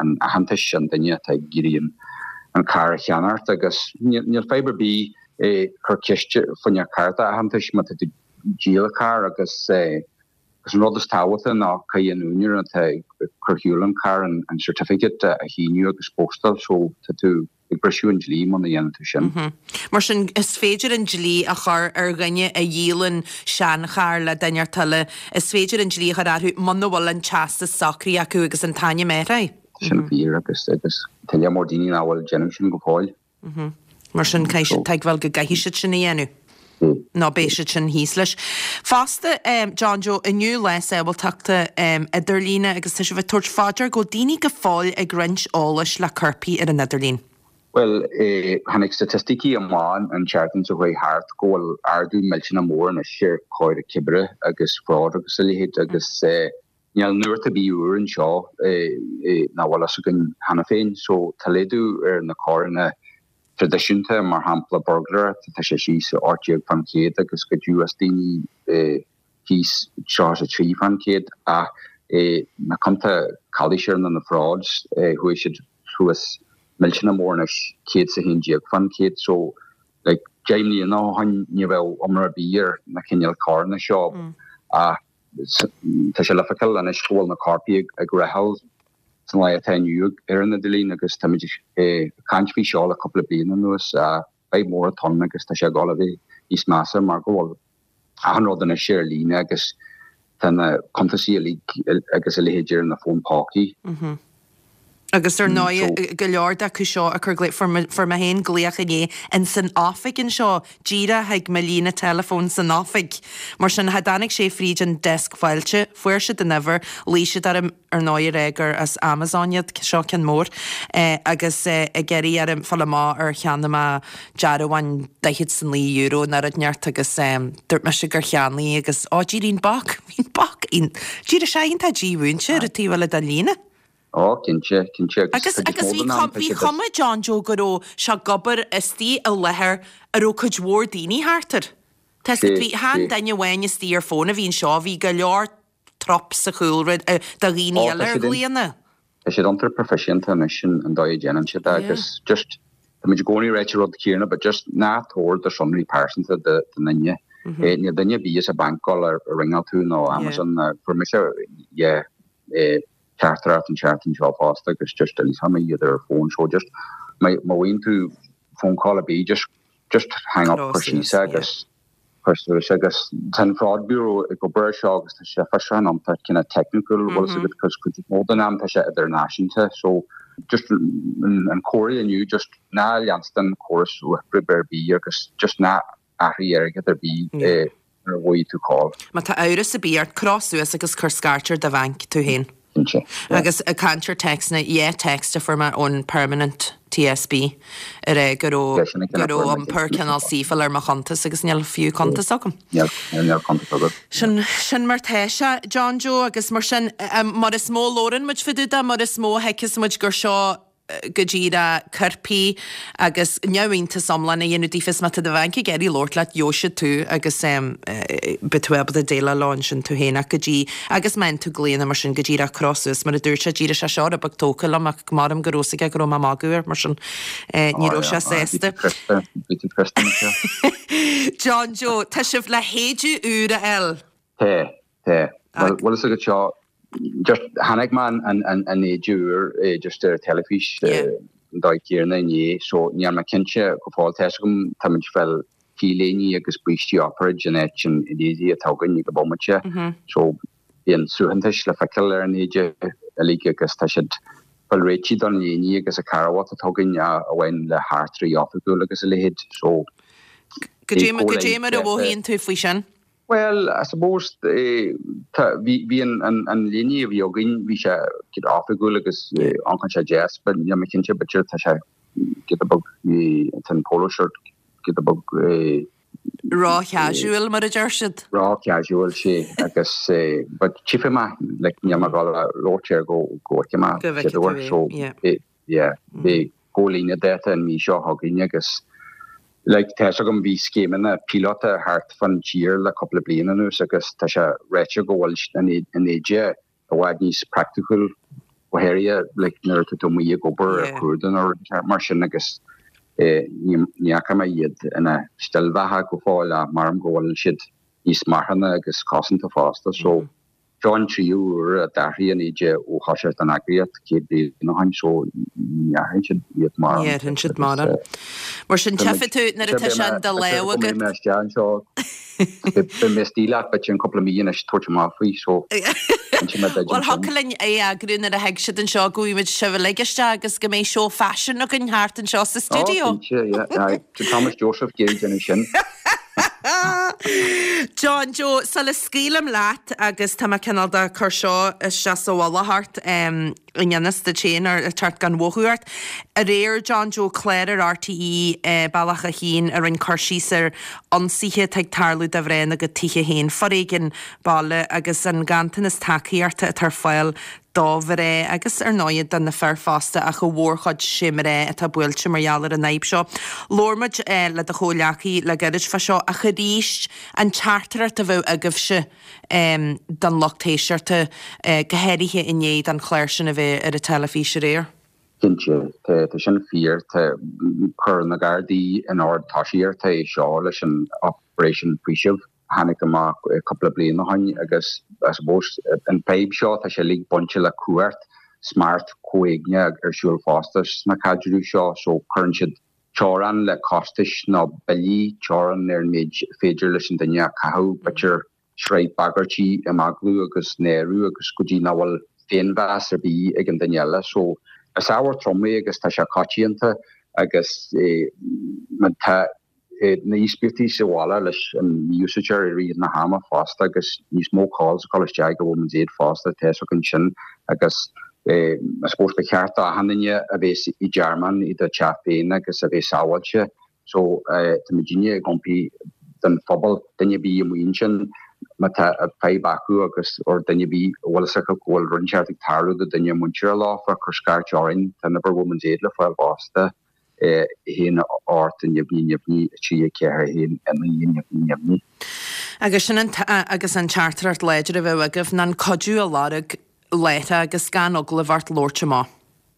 aitheantais an duine atá ag iarraidh an carr a cheannacht agus níl fadhb ar bith cur ceist fá choinne cárta aitheantais má tá tú ag díol carr agus agus an rud is tábhachtaí ná caithfidh an úinéir atá ag cur shiúl an carr an certificate a shíniú agus postáil so tá tú ag briseadh an dlí muna dhéanann tú sin. Mar sin, is féidir an dlí a chur ar dhuine a dhíolann seancharr le duine inteacht eile, is féidir an dlí a chur orthu muna bhfuil an teastas socraithe acu agus an t-ainm athraithe. Tá sin fíor agus agus tá lear mór daoine nach bhfuil ag déanamh sin go fóill. Mar sin, caithfidh siad tuigbheáil go gcaithfidh siad sin a dhéanamh. Nó beidh siad sin thíos leis. Fosta, John Joe, inniu lá sábháilteachta idirlíne agus tá sibh ag tabhairt fá dear go bhfuil daoine go fóill ag roinnt eolais le coirpigh ar an idirlíon. Bhuel, tháinig staitisticí amach an tseachtain seo chuaigh thart go bhfuil ardú millteanach mór anois ar choir cibire agus fraud agus a leithéid agus níl nuacht ar bith úr anseo nach bhfuil fhios againn cheana féin. So tá laghdú ar na coireanna traidisiúnta, mar shampla burglaireacht, tá sé síos 18% agus goideadh as daoine thíos 33% ach na cionta calaoise nó na frauds, chuaigh siad suas millteanach mór anois, 111%. So like 10 mbliana ó shin ní bheadh iomrá ar bith ar na cineál coireanna seo ach Tá sé le feiceáil anois go bhfuil na coirpigh ag reáchtáil san lá atá inniu ar an idirlíon agus táimid ag caint faoi seo le cúpla bliain anuas. Fadhb mór atá ann agus tá sé ag dul a bheith níos measa mar go bhfuil achan rud anois ar líne agus tá na cuntasaí uilig agus a leithéid ar na fóin pócaí. Agus ar ndóigh, go leor d'acu seo ag cur glaoch, fuair mé féin glaoch inné ins an oifig anseo, díreach chuig mo líne teileafóin san oifig. Mar sin, cha dtáinig sé fríd an deasc fáilte, fuair siad an uimhir, ghlaoigh siad orm, ar ndóigh, ag rá gur as Amazon iad, seo ceann mór, agus ag iarraidh orm fáil amach ar cheannaigh mé dearbhán €49 nó rud inteacht agus dúirt mise gur cheannaigh agus, ó, d'éirigh an boc, bhí an boc, d'éirigh sé iontach dímhúinte ar an taobh eile den líne. Ó, cinnte, cinnte, agus Agus, agus bhí bhí cuma John Joe go raibh sé ag obair istigh i láthair a raibh cuid mhór daoine thart air. Tá 'fhios agat, bhí, chan duine amháin istigh ar fón a bhí anseo, bhí go leor trup sa chúlra de dhaoine eile ar ghlaonna. Tá siad iontach proifisiúnta anois an dóigh a déanann siad é agus just táimid i gcónaí ag ráit an rud céanna but just ná tabhair do shonraí pearsanta do dhuine. Níl duine ar bith as an banc ag gabháil a ringeáil tú nó Amazon, fuair mise yeah. teachtaireacht an tseachtain seo fosta agus just d'fhoilseoidh mé iad ar an fón so just má bhfaigheann tú phone call ar bith just just hang up cuir síos é agus cuir suas agus tá an Fraud Bureau ag obair ar seo agus tá sé fiosrúchán iontach kind of technical bhfuil fhios agat cos cuid mó den am tá sé idirnáisiúnta so just an comhairle inniu just ná leanstan córas uathoibrithe ar bith agus just ná athraigh airgead ar bith nuair a bhfaighidh tú call. Má tá amhras ar bith ort, croith suas agus cuir scairt ar do bhanc tú féin. Cinnte. Agus ag caint ar téacsanna, yeah text a fuair mé ón Permanent TSB ag rá go raibh go raibh iompar cineál saofail ar mo chuntas agus níl fiú cuntas agam. Níl, níl cuntas agat. Sin, sin mar tá sé, John Joe, agus mar sin, mar is mó a labhrann muid fá dtaobh de, mar is mó a thuigfeas muid gur seo go díreach coirpigh agus neamhiontas iomlán a dhéanamh daofa is má tá do bhanc ag iarraidh labhairt leat gheobhaidh siad tú agus beidh tú ábalta déileáil leo ansin tú féin ach go dtí agus má fhaigheann tú glaonna mar sin go díreach croith suas mar a dúirt sé díreach sé seo rud beag tógtha liom ach maram go raibh fhios aige go raibh mé ag magadh air mar sin ní raibh sé sásta. Bhí tú crosta anseo. John Joe, tá sibh le héide úr a fháil. Tá. Tá. Bhuel, bhfuil fhios agat seo, just chonaic mé an éide úr just ar teilifís. an dóigh céanna inné so níl mé cinnte go fóill. Tá 'fhios agam táimid ag fáil T-léiní agus brístí operáid in áit an éadaí atá againn ag an bomaite so bíonn suaitheantais le feiceáil ar an éide uilig agus tá siad fáil réitithe don léiní agus an carbhat atá againn a bhain le heachtraí oifigiúil agus a leithéid so Go dté mar a mhothaíonn tú faoi sin? Bhuel, I suppose, tá, bhí, bhí an, an, an léine a bhí againn, bhí sé giota oifigiúil agus amharcann sé deas, but níl mé cinnte, b'fhéidir tá sé giota beag, tá an polo shirt giota beag. Ró-chasual, mar a deir siad. Ró-chasual, sea, agus, but tchífidh mé, like, níl mé ag dul a labhairt air go, go bhfeicfidh mé Go bhfeicfidh tú é, so, yeah. yeah, beidh comhlíonadh dáta an mhí seo chugainn agus like tá 'fhios agam bhí scéimeanna píolóta thart fán tír le cúpla bliain anuas agus tá sé ráite go bhfuil an an éide i bhfad níos praiticiúil go háirithe like nuair atá tú amuigh ag obair ar cuaird nó rud mar sin agus eh ní ní fhaca mé iad ina steillbheatha go fóill ach measaim go bhfuil siad níos marthana agus cosanta fosta so Seo an tríú huair a d'athraigh an éide ó thoiseacht an eagraíocht 100 bliain ó shin so ní athraíonn siad iad mórán. Ní athraíonn siad mórán. Mar sin tchífidh tú nuair atá sé in do lámh agat. Beidh mé isteach anseo. Beidh mé istigh leat b'fhéidir in cúpla mí anois tabhairt amach faoi so inseoidh mé duit Bhuel thiocfadh linn é a eagrú nuair a thig siad anseo go bhfaighidh muid sibh uilig isteach agus go mbeidh seó faisin againn thart anseo sa stiúideo. Ó cinnte, yeah. Aye. Tá Thomas Joseph ag iarraidh déanamh sin. John Joe, sula scaoilim leat, agus tá mé cineál de cur seo isteach sa mhullach ort, i ngan fhios duit féin, ar teacht gan mhothú ort. Aréir, John Joe, clár ar RTÉ, Bealach a hAon, a rinne cur síos ar ionsaithe atá ag tarlú do mhná ina gcuid tithe féin, foréigean baile agus an ganntanas tacaíochta atá ar fáil do mhná agus, ar ndóighe, do na fir fosta ach i mhórchuid sé mná atá buailte mar gheall ar an fhadhb seo. Labhair muid le do chomhghleacaí le gairid fá seo ach arís an teachtaireacht a bheadh agaibhse don lucht éisteachta, go háirithe i ndiaidh don chlár sin a bheith ar an teilifís aréir. Cinnte, tá sin fíor. Tá chuir na Gardaí in ord tosaíochta é seo leis an Operation Faoiseamh. tháinig amach cúpla bliain ó shin agus I suppose an fadhb seo tá sé uilig bainte le cumhacht, smacht comhéigneach ar siúl fosta sna caidrimh seo so cuireann siad teorainn le costais nó billí, teorainn ar an méid féidir leis an duine a chaitheamh, b'fhéidir sraith bagairtí, imeaglú agus náiriú agus go dtí nach bhfuil féinmheas ar bith ag an duine eile so is ábhar trom é agus tá sé coitianta agus má tá na híospartaigh sa bhaile leis an mí-úsáideoir i rith na hama fosta agus níos mó calls ag dul isteach ag Women's Aid fosta tá 'fhios againn sin agus I suppose ba cheart do achan duine a bheith i dtearmann i do teach féin agus a bheith sábháilte so tá muidinne ag impí don phobal duine ar bith amuigh ansin má tá fadhb acu agus or duine ar bith a bhfuil 'fhios acu go bhfuil rud inteacht ag tarlú do duine muinteartha leofa cuir scairt orainn tá an uimhir Women's Aid le fáil fosta. 1 8 neamhní neamhní 3 4 1 9 neamhní neamhní. Agus sin an agus an teachtaireacht láidir a bheadh agaibh ná an cuidiú a lorg láithreach agus gan eagla a bheith ort labhairt amach.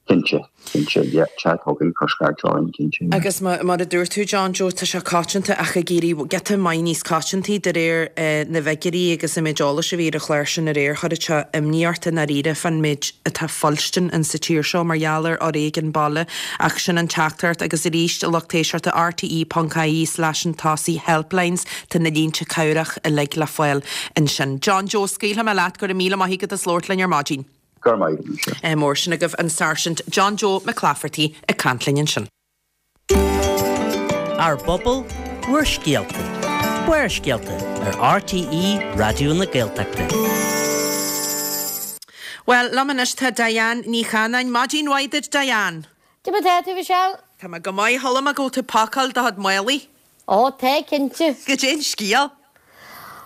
Cinnte, cinnte, yeah, teacht chugainn, cuir scairt orainn, cinnte, yeah. Agus mar a dúirt tú, John Joe, tá sé coitianta ach ag éirí giota maith níos coitiantaí de réir na bhfigiúirí agus an méid eolais a bhí ar an chlár sin aréir, chuirfeadh sé imní ort i ndáiríre fán méid atá fuilstin in sa tír seo mar gheall ar fhoréigean baile ach sin an teachtaireacht agus arís a lucht éisteachta rte ponc ie slash an tosaigh helplines tá na línte cabhrach uilig le fáil ansin. John Joe, scaoilfidh mé leat, go raibh míle maith agat as labhairt linn ar maidin. Go raibh maith agat, Michelle. Mór sin agaibh an Sáirsint John Joe Mac Laifeartaigh ag caint linn ansin. Ár bpobal, bhur scéalta. Barrscéalta ar RTÉ Raidió na Gaeltachta. Bhuel, liom anois tá Diane Ní Chanáin. Maidin mhaith duit, Diane! Cad é mar tá tú, Michelle? Tá mé go maith. Chuala mé go bhfuil tú ag pacáil do chuid málaí. Ó, tá, cinnte. Goidé an scéal?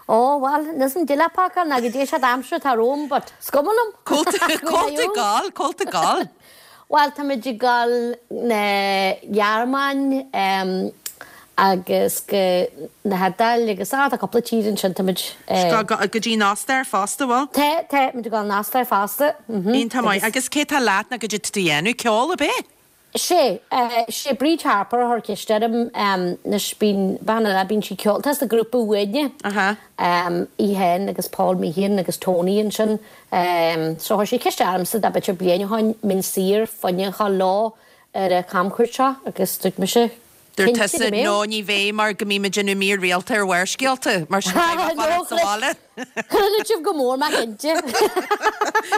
Ó, bhuel, níl 'fhios a'm goidé le pacáil ná goidé an aimsir atá romham, but is cuma liom. Cá bhfuil tú ag gabháil? Cá bhfuil tú ag gabháil? Bhuel, táimid ag gabháil na Gearmáin agus go na hIodáil agus, á, tá cúpla tír ansin, táimid. Go dtí an Ostair fosta, bhfuil? Tá, tá, muid ag gabháil an Ostair fosta. Iontach maith. Agus cé tá leat nó goidé tá tú a dhéanamh? Ceol, ab é? Sé, sé Bríd Harper a chuir ceist orm, anois bíonn, bean eile, bíonn sí ceol, tá sa ghrúpa Uaine, í féin agus Paul Meehan agus Tony ansin, so chuir sí ceist ormsa b'fhéidir bliain ó shin, mbeinn saor fá choinne a ghabháil leo. ar an chamchuairt seo agus dúirt mise, Dúirt Cinnte tusa, go mbeidh. No, ní bheidh mar go mbím ag déanamh mír rialta ar Bharrscéalta, mar sin caithfidh mé fanacht sa bhaile. Chreid sibh go mór mé cinnte.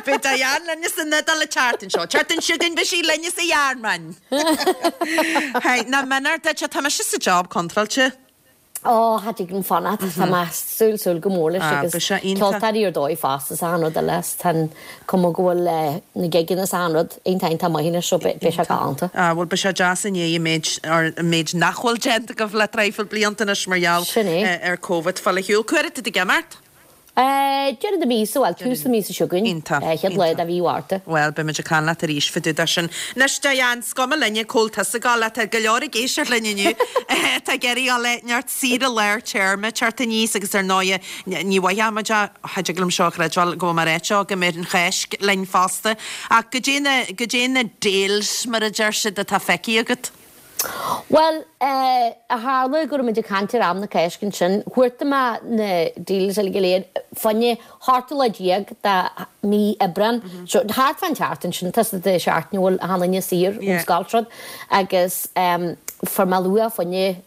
Beidh Diane linne san Iodáil an tseachtain seo. An tseachtain seo chugainn beidh sí linne sa Ghearmáin. Hey, nach méanar duit, tá mise sa job contráilte. Ó, cha dtig liom fanacht. Tá mé súil, súil go mór leis Ah, agus beidh sé iontach. ceoltóirí ar dóigh fosta is achan rud eile is tá an cuma go bhfuil na gigeanna is achan rud iontach iontach maith anois so beidh sé galánta. Ah, bhuel beidh sé deas i ndiaidh an méid, or an méid nach bhfuil déanta agaibh le traidhfil blianta anois mar gheall Sin é. ar Covid. Fáil ar shiúl. Cá huair atá tú ag imeacht? Deireadh na míosa, bhuel, tús na míosa seo chugainn. Iontach. Chéad lá de mhí Mhárta. Bhuel, beidh muid ag caint leat arís fá dtaobh de sin. Anois, Diane, is cuma linne cá bhfuil tusa ag gabháil, tá go leor ag éisteacht linn inniu atá ag iarraidh dul le neart saoire lár téarma teacht aníos agus ar ndóighe, ní mhaithfeadh muid é, cha dtig liom seo a chreidbheáil go bhfuil mé ag ráit seo, go mbeidh an Cháisc linn fosta. Ach goidé na, goidé na deals, mar a deir siad, atá feicthe agat? Bhuel, eh, a tharla go raibh muid ag caint ar am na Cásca ansin, chuartaigh mé na deals uilig go léir fá choinne ochtú lá déag de mí Aibreán, so thart fán tseachtain sin, tá de seachtain a bhfuil achan duine saor ón scoil is rud, agus em, fuair mé luach fá choinne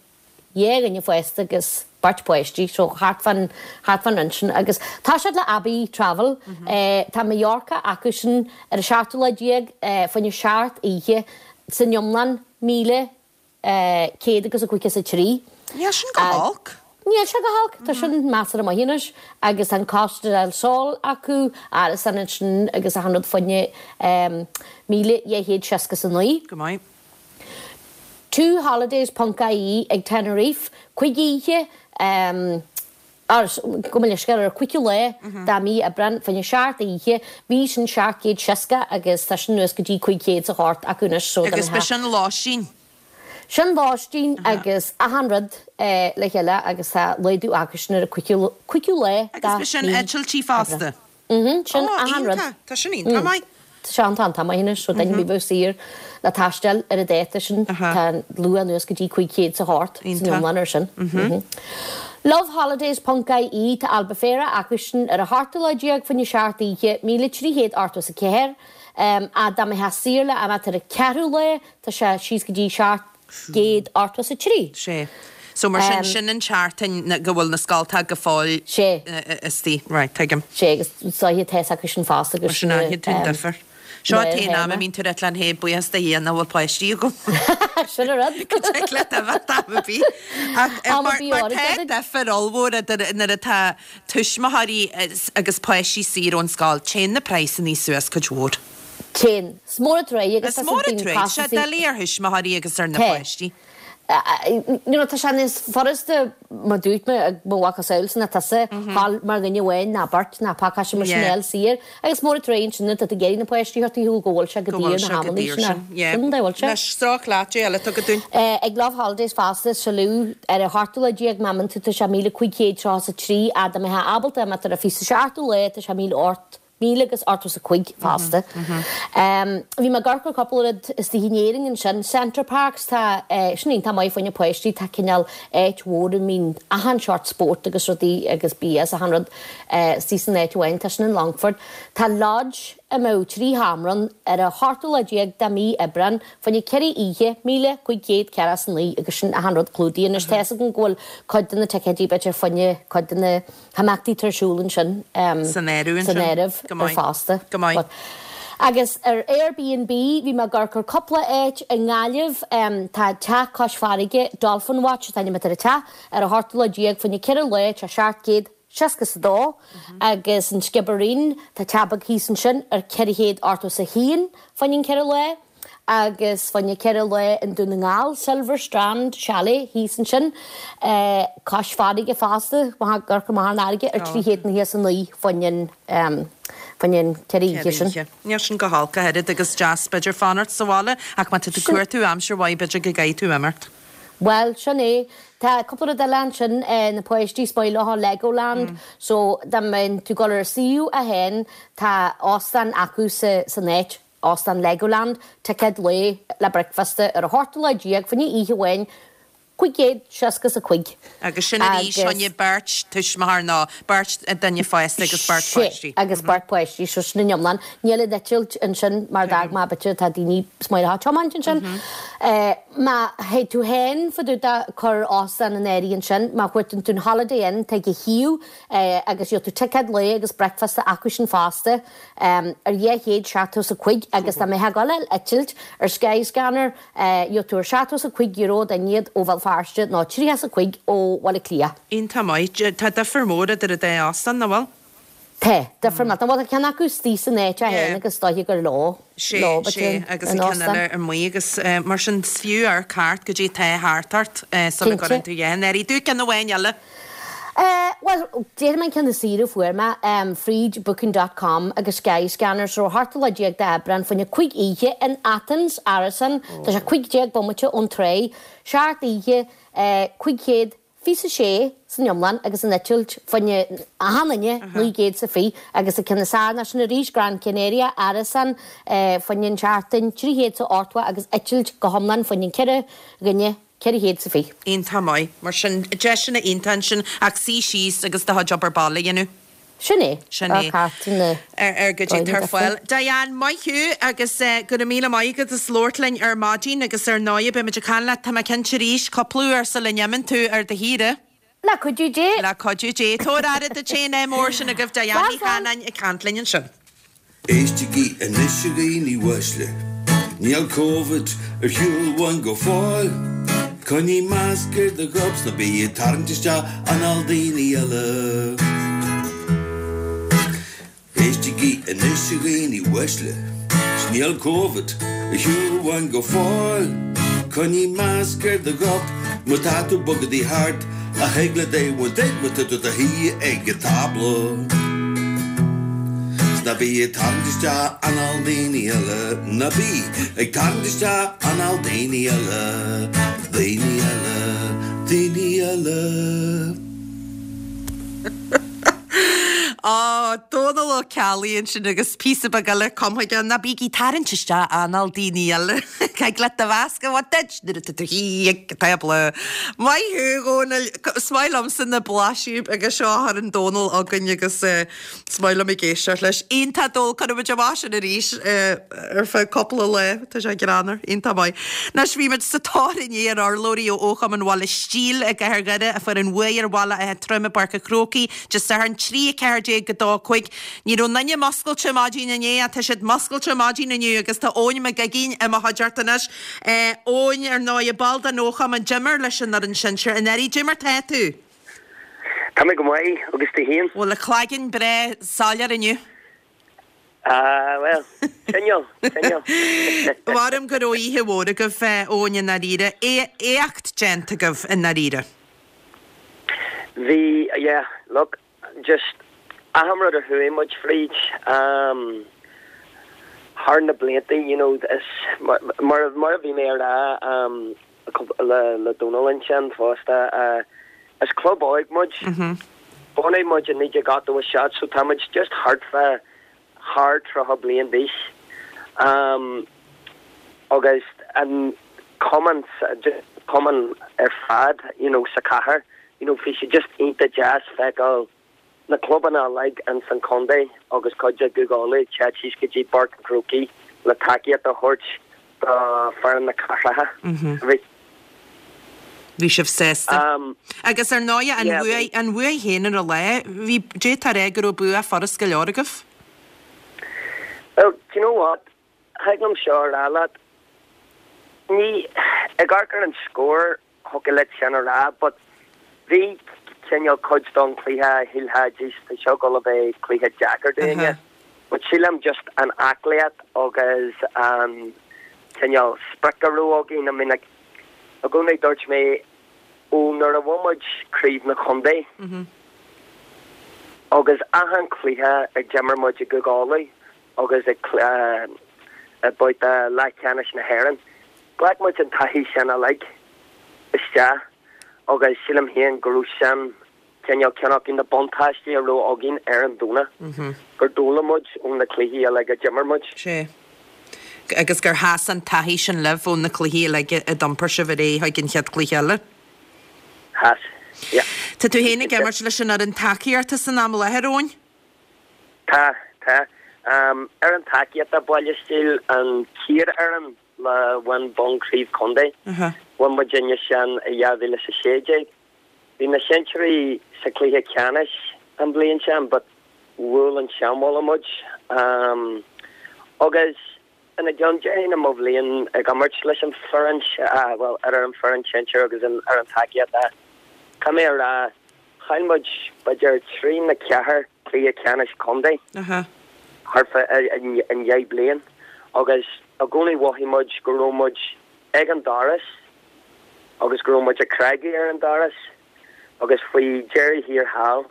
dhá dhuine fásta agus beirt páistí, so thart fán, thart fán roinn sin. Agus tá siad le Abbey Travel, eh, tá Mallorca acu sin ar an seachtú lá déag, eh, fá choinne seacht oíche san iomlán, 1,100 agus a 53. Níl sin go holc. Níl sé go holc, tá sin measartha maith anois agus tá an Costa del Sol acu, árasán ansin agus achan rud fá choinne, eh, 1,269. Go maith. Two holidays ponc ie ag Tenerife, cuig oíche, or gabh mo leithscéal, ar an 5ú lá de mí Aibreán, fá choinne seacht oíche, bhí sin 760 agus tá sin anuas go dtí 500 's a hocht acu anois so Agus b'shin lóistín? Sin lóistín agus achan rud le chéile agus tá laghdú acu sin ar an 5ú lá de Agus b'shin mí eitiltí fosta? Mhm, sin Ó, achan rud. iontach. Tá sin iontach maith. Tá sé iontach iontach maith anois, so duine ar bith a bheadh saor le taisteal ar an dáta sin, tá an luach anuas go dtí 500 's a hocht san iomlán ar sin. Loveholidays ponc ie, tá Albufeira acu sin ar an ochtú lá déag fá choinne seacht oíche, 1,384, ach dá mbeifeá saor le imeacht ar an ceathrú lá, tá sé síos go dtí 783. Sé. So mar sin, sin an tseachtain go bhfuil na scoltacha go fóill Sé. istigh. Right, tuigim. Sé, agus is dóiche tá acu sin fosta agus Mar sin aithníonn tú an difear. Seo an t-aon am a mbíonn tú ag rá hey, buíochas do Dhia nach bhfuil páistí agam. Sin an rud. Go dtig leat imeacht am ar bith. Ach Am ar mar bith mar áirid tá agat. difear ollmhór idir nuair atá tuismitheoirí agus páistí saor ón scoil, téann na praghsanna suas cuid mhór. Téann. Is mór an truaighe agus Is mór an truaighe. Tá sé doiligh ar thuismitheoirí agus ar na páistí. You know, tá sé níos furasta, mar dúirt mé, ag mo mhacasamhail ná tusa, dhul mar dhuine amháin ná beirt ná pacáiste mar sin a fháil saor. Agus mór an truaighe ansin atá tú ag iarraidh na páistí a thabhairt ar shiúl go bhfuil sé go daor na hamanna sin. Sin an dóigh a bhfuil sé. Anois, sroich leat, goidé eile atá agat dúinn. Ag Loveholidays fosta, Salou, ar an ochtú lá déag, má imíonn tú, tá sé 1,533, ach dá mbeifeá ábalta imeacht ar an 27ú lá, tá sé 1,008. 1085 fosta. Bhí mé ag amharc ar cúpla rud istigh in Éirinn ansin. Center Parcs, tá, sin iontach maith fá choinne páistí, tá cineál áit mhór a mbíonn achan seort spórt agus rudaí agus bia is achan rud istigh san áit amháin, tá sin in Longford. Tá lodge a mbeadh 3 sheomra ann ar an ochtú lá déag de mhí Aibreán fá choinne 4 oíche, 1,549 agus sin achan rud clúdaithe. Anois tá fhios agam go bhfuil cuid de na ticéidí b'fhéidir fá choinne cuid de na himeachtaí atá ar siúl ansin San áireamh san ansin. áireamh Go ar maith. fosta. Go maith. But agus ar Airbnb bhí mé ag amharc ar cúpla áit i nGaillimh tá teach cois farraige, Dolphin Watch an t-ainm atá ar an teach, ar an ochtú lá déag fá choinne 4 lá tá 762 agus an Sciobairín tá teach beag thíos ansin ar 481 fá choinne an 4 lá. agus fá choinne 4 lá i nDún na nGall, Silver Strand Chalet thíos ansin, cois farraige fosta, ag amharc amach ar an fharraige, ar 399 fá choinne an, fá choinne an 4 oíche sin. Níl sin go holc ach oiread agus deas b'fhéidir fanacht sa bhaile ach má tá tú ag cuartú aimsir mhaith b'fhéidir go gcaithfidh tú imeacht. Bhuel, sin é. Tá cúpla rud eile ansin, na páistí is maith leo Legoland, so dá mbeinn tú ag dul ar an suíomh é féin, tá óstán acu sa, san áit. Óstán Legoland, ticéad lae le bricfeasta ar an ochtú lá déag, fá choinne oíche amháin. 565. Agus sin arís fá choinne beirt tuismitheoir nó beirt duine fásta agus beirt páistí. Sea, agus beirt páistí, so sin an iomlán. Níl an eitilt ansin mar d'fhág mé b'fhéidir tá daoine smárach ag tiomáint ansin. Má théid tú féin fá dtaobh de cur óstán in áirithe ansin, má chuartaíonn tú an Holiday Inn, tá ag a thaobh agus gheobhaidh tú ticéad lae agus bricfeasta acu sin fosta ar 275 agus dá mbeifeá ag dul ar eitilt ar Skyscanner, Gheobhaidh tú ar €75 duine iad ó Bhéal Feirste nó 35 ó Bhaile Átha Cliath. Iontach maith. Tá difear mór idir an dá óstán, nach bhfuil? Tá, difear maith. Bhuel, tá ceann acu istigh san áit é féin agus is dóiche gur leo, Sé, leo sé, agus an ceann eile amuigh agus mar sin is fiú amharc thart goidé atá thart ort sula Cinnte. gcuireann tú a dhath in áirithe. Dúirt ceann amháin eile. Bhuel, déarfaidh mé an ceann is saoire a fuair mé, fríd Booking dot com agus Skyscanner, so ar an ochtú lá déag d'Aibreán, fá choinne 5 oíche in Athens, Árasán, tá sé 15 bomaite ón tráigh, 7 oíche, 526 san iomlán agus an eitilt fá choinne achan duine, 920 agus an ceann is fearr ná sin arís, Gran Canaria, Árasán, fá choinne an tseachtain, 380 agus eitilt go hiomlán fá choinne 4 dhuine. 420. Iontach maith. Mar sin, deiseanna iontacha ansin ach suí síos agus do chuid obair baile a dhéanamh. Sin é. Sin é. Na. Ar goidé atá ar fáil. Diane, maith thú agus go raibh míle maith agat as labhairt linn ar maidin agus ar ndóigh beimid ag caint leat, tá mé cinnte arís, cúpla uair sula n-imíonn tú ar do shaoire. Le cuidiú Dé. Le cuidiú Dé. Tabhair aire duit féin, ádh mór sin agaibh Diane Ní Chanainn ag caint linn ansin. Éistigí anois a dhaoine uaisle, níl Covid ar shiúl uainn go fóill. Coinnigh masc ar do ghob 's ná bí ag tarraingt isteach anáil daoine eile. Éistigí anois a dhaoine uaisle, 's níl Covid ar shiúl uainn go fóill. Coinnigh masc ar do ghob má tá tú ag bogadaí thart, ach eagla Dé bhain duit má tá tú i do shuí ag an tábla. 'S ná bí ag tarraingt isteach anáil daoine eile, ná bí ag tarraingt isteach anáil daoine eile, daoine eile, daoine eile. Á, Dónal Ó Ceallaigh ansin agus píosa beag eile cumtha aige, ná bígí ag tarraingt isteach anáil daoine eile. Caithfidh leat do mhasc a bhaint duit nuair atá tú i do shuí ag an tábla. Maith thú, a Dhónaill. Is maith liomsa na blaiseadh beaga seo a chuireann Dónal chugainn agus is maith liom ag éisteacht leis. Iontach Dónal, cuirfidh muid amach sin arís ar feadh cúpla lá. Tá sé greannmhar. Iontach maith. Anois bhí muid sa tóir inné ar urlabhraí ó Chumann Bhaile Stíl i gCathair Dhoire a fuair an bhuaidh ar Bhaile Átha Troim i bPáirc an Chrócaigh Dé Sathairn 3 14 go 2 5. Ní raibh aon duine muscailte maidin inné ach tá siad muscailte maidin inniu agus tá Eoin Mac Uiginn i mo chuideachta anois. Eoin, ar ndóigh, ball den fhochumann, d'imir leis an fhoireann sinsir anuraidh. Cad é mar tá tú? Tá mé go maith, agus tú féin? Bhfuil an cloigeann breá soiléir inniu? Ah, bhuel, cineál, cineál. Maram go raibh oíche mhór agaibh, Eoin, i ndáiríre. Éacht déanta agaibh i ndáiríre. Bhí, yeah, look, just achan rud a chuaigh muid fríd, um, thar na blianta, you know, is, mar, mar, mar a bhí mé a rá, um, le, le Dónal ansin fosta, uh, is club óg muid. Bunaíodh muid i 1987 so tá muid just thart fá thar 30 bliain d'aois. Um, agus an cumann, just cumann ar fad, you know, sa chathair, you know, bhí sé just iontach deas feiceáil na clubanna uilig ins an chontae agus cuid de Chúige Uladh ag teacht síos go dtí Páirc an Chrócaigh le tacaíocht a thabhairt do foireann na cathracha. Bhí. Bhí sibh sásta. Agus ar ndóigh, an bhuaidh, an bhuaidh féin ar an lá, bhí, d'fhéadfá a rá go raibh bua furast go leor agaibh. Well, do you know what? Thig liom seo a rá leat, ní, ag amharc ar an scór, thiocfadh leat sin a rá but bhí cineál cuid don chluiche shílfeá jeez tá seo ag dul a bheith cluiche deacair dúinne but sílim just an aclaíocht agus an cineál sprioc a raibh againn I mean like i gcónaí dúirt mé ó nuair a bhain muid craobh na chontae agus achan cluiche a d'imir muid i gCúige Uladh agus ag i babhta leathcheannais na hÉireann. Ghlac muid an taithí sin uilig isteach agus sílim féin go raibh sin cineál ceann acu na buntáistí a raibh againn ar an Domhnach, gur d'fhoghlaim muid ó na cluichí uilig a d'imir muid. Sea. Agus gur sheas an taithí sin libh ó na cluichí uilig a d'iompair sibh ar aghaidh chuig an chéad chluiche eile. Theas. Yeah. Tá tú féin ag imirt leis an fhoireann tacaíochta san am i láthair, Eoin? Tá, tá. Fhoireann tacaíochta Baile Stíl an chéad fhoireann le bhain bonn craobh contae. Bhain muidinne sin i 2016. Bhí na sinsearaí sa cluiche ceannais an bhliain sin but bhuail an Seanbhaile muid. Agus ina gceann déarfainn i mo bhliain ag imirt leis an foireann, bhuel idir an foireann sinsir agus an fhoireann tacaíochta, caithfidh mé a rá, chaill muid b'fhéidir 3 nó 4 cluiche ceannais contae thart fá an dheich bliain agus i gcónaí mhothaigh muid go raibh muid ag an doras agus go raibh muid ag cnagadh ar an doras agus faoi dheireadh thiar thall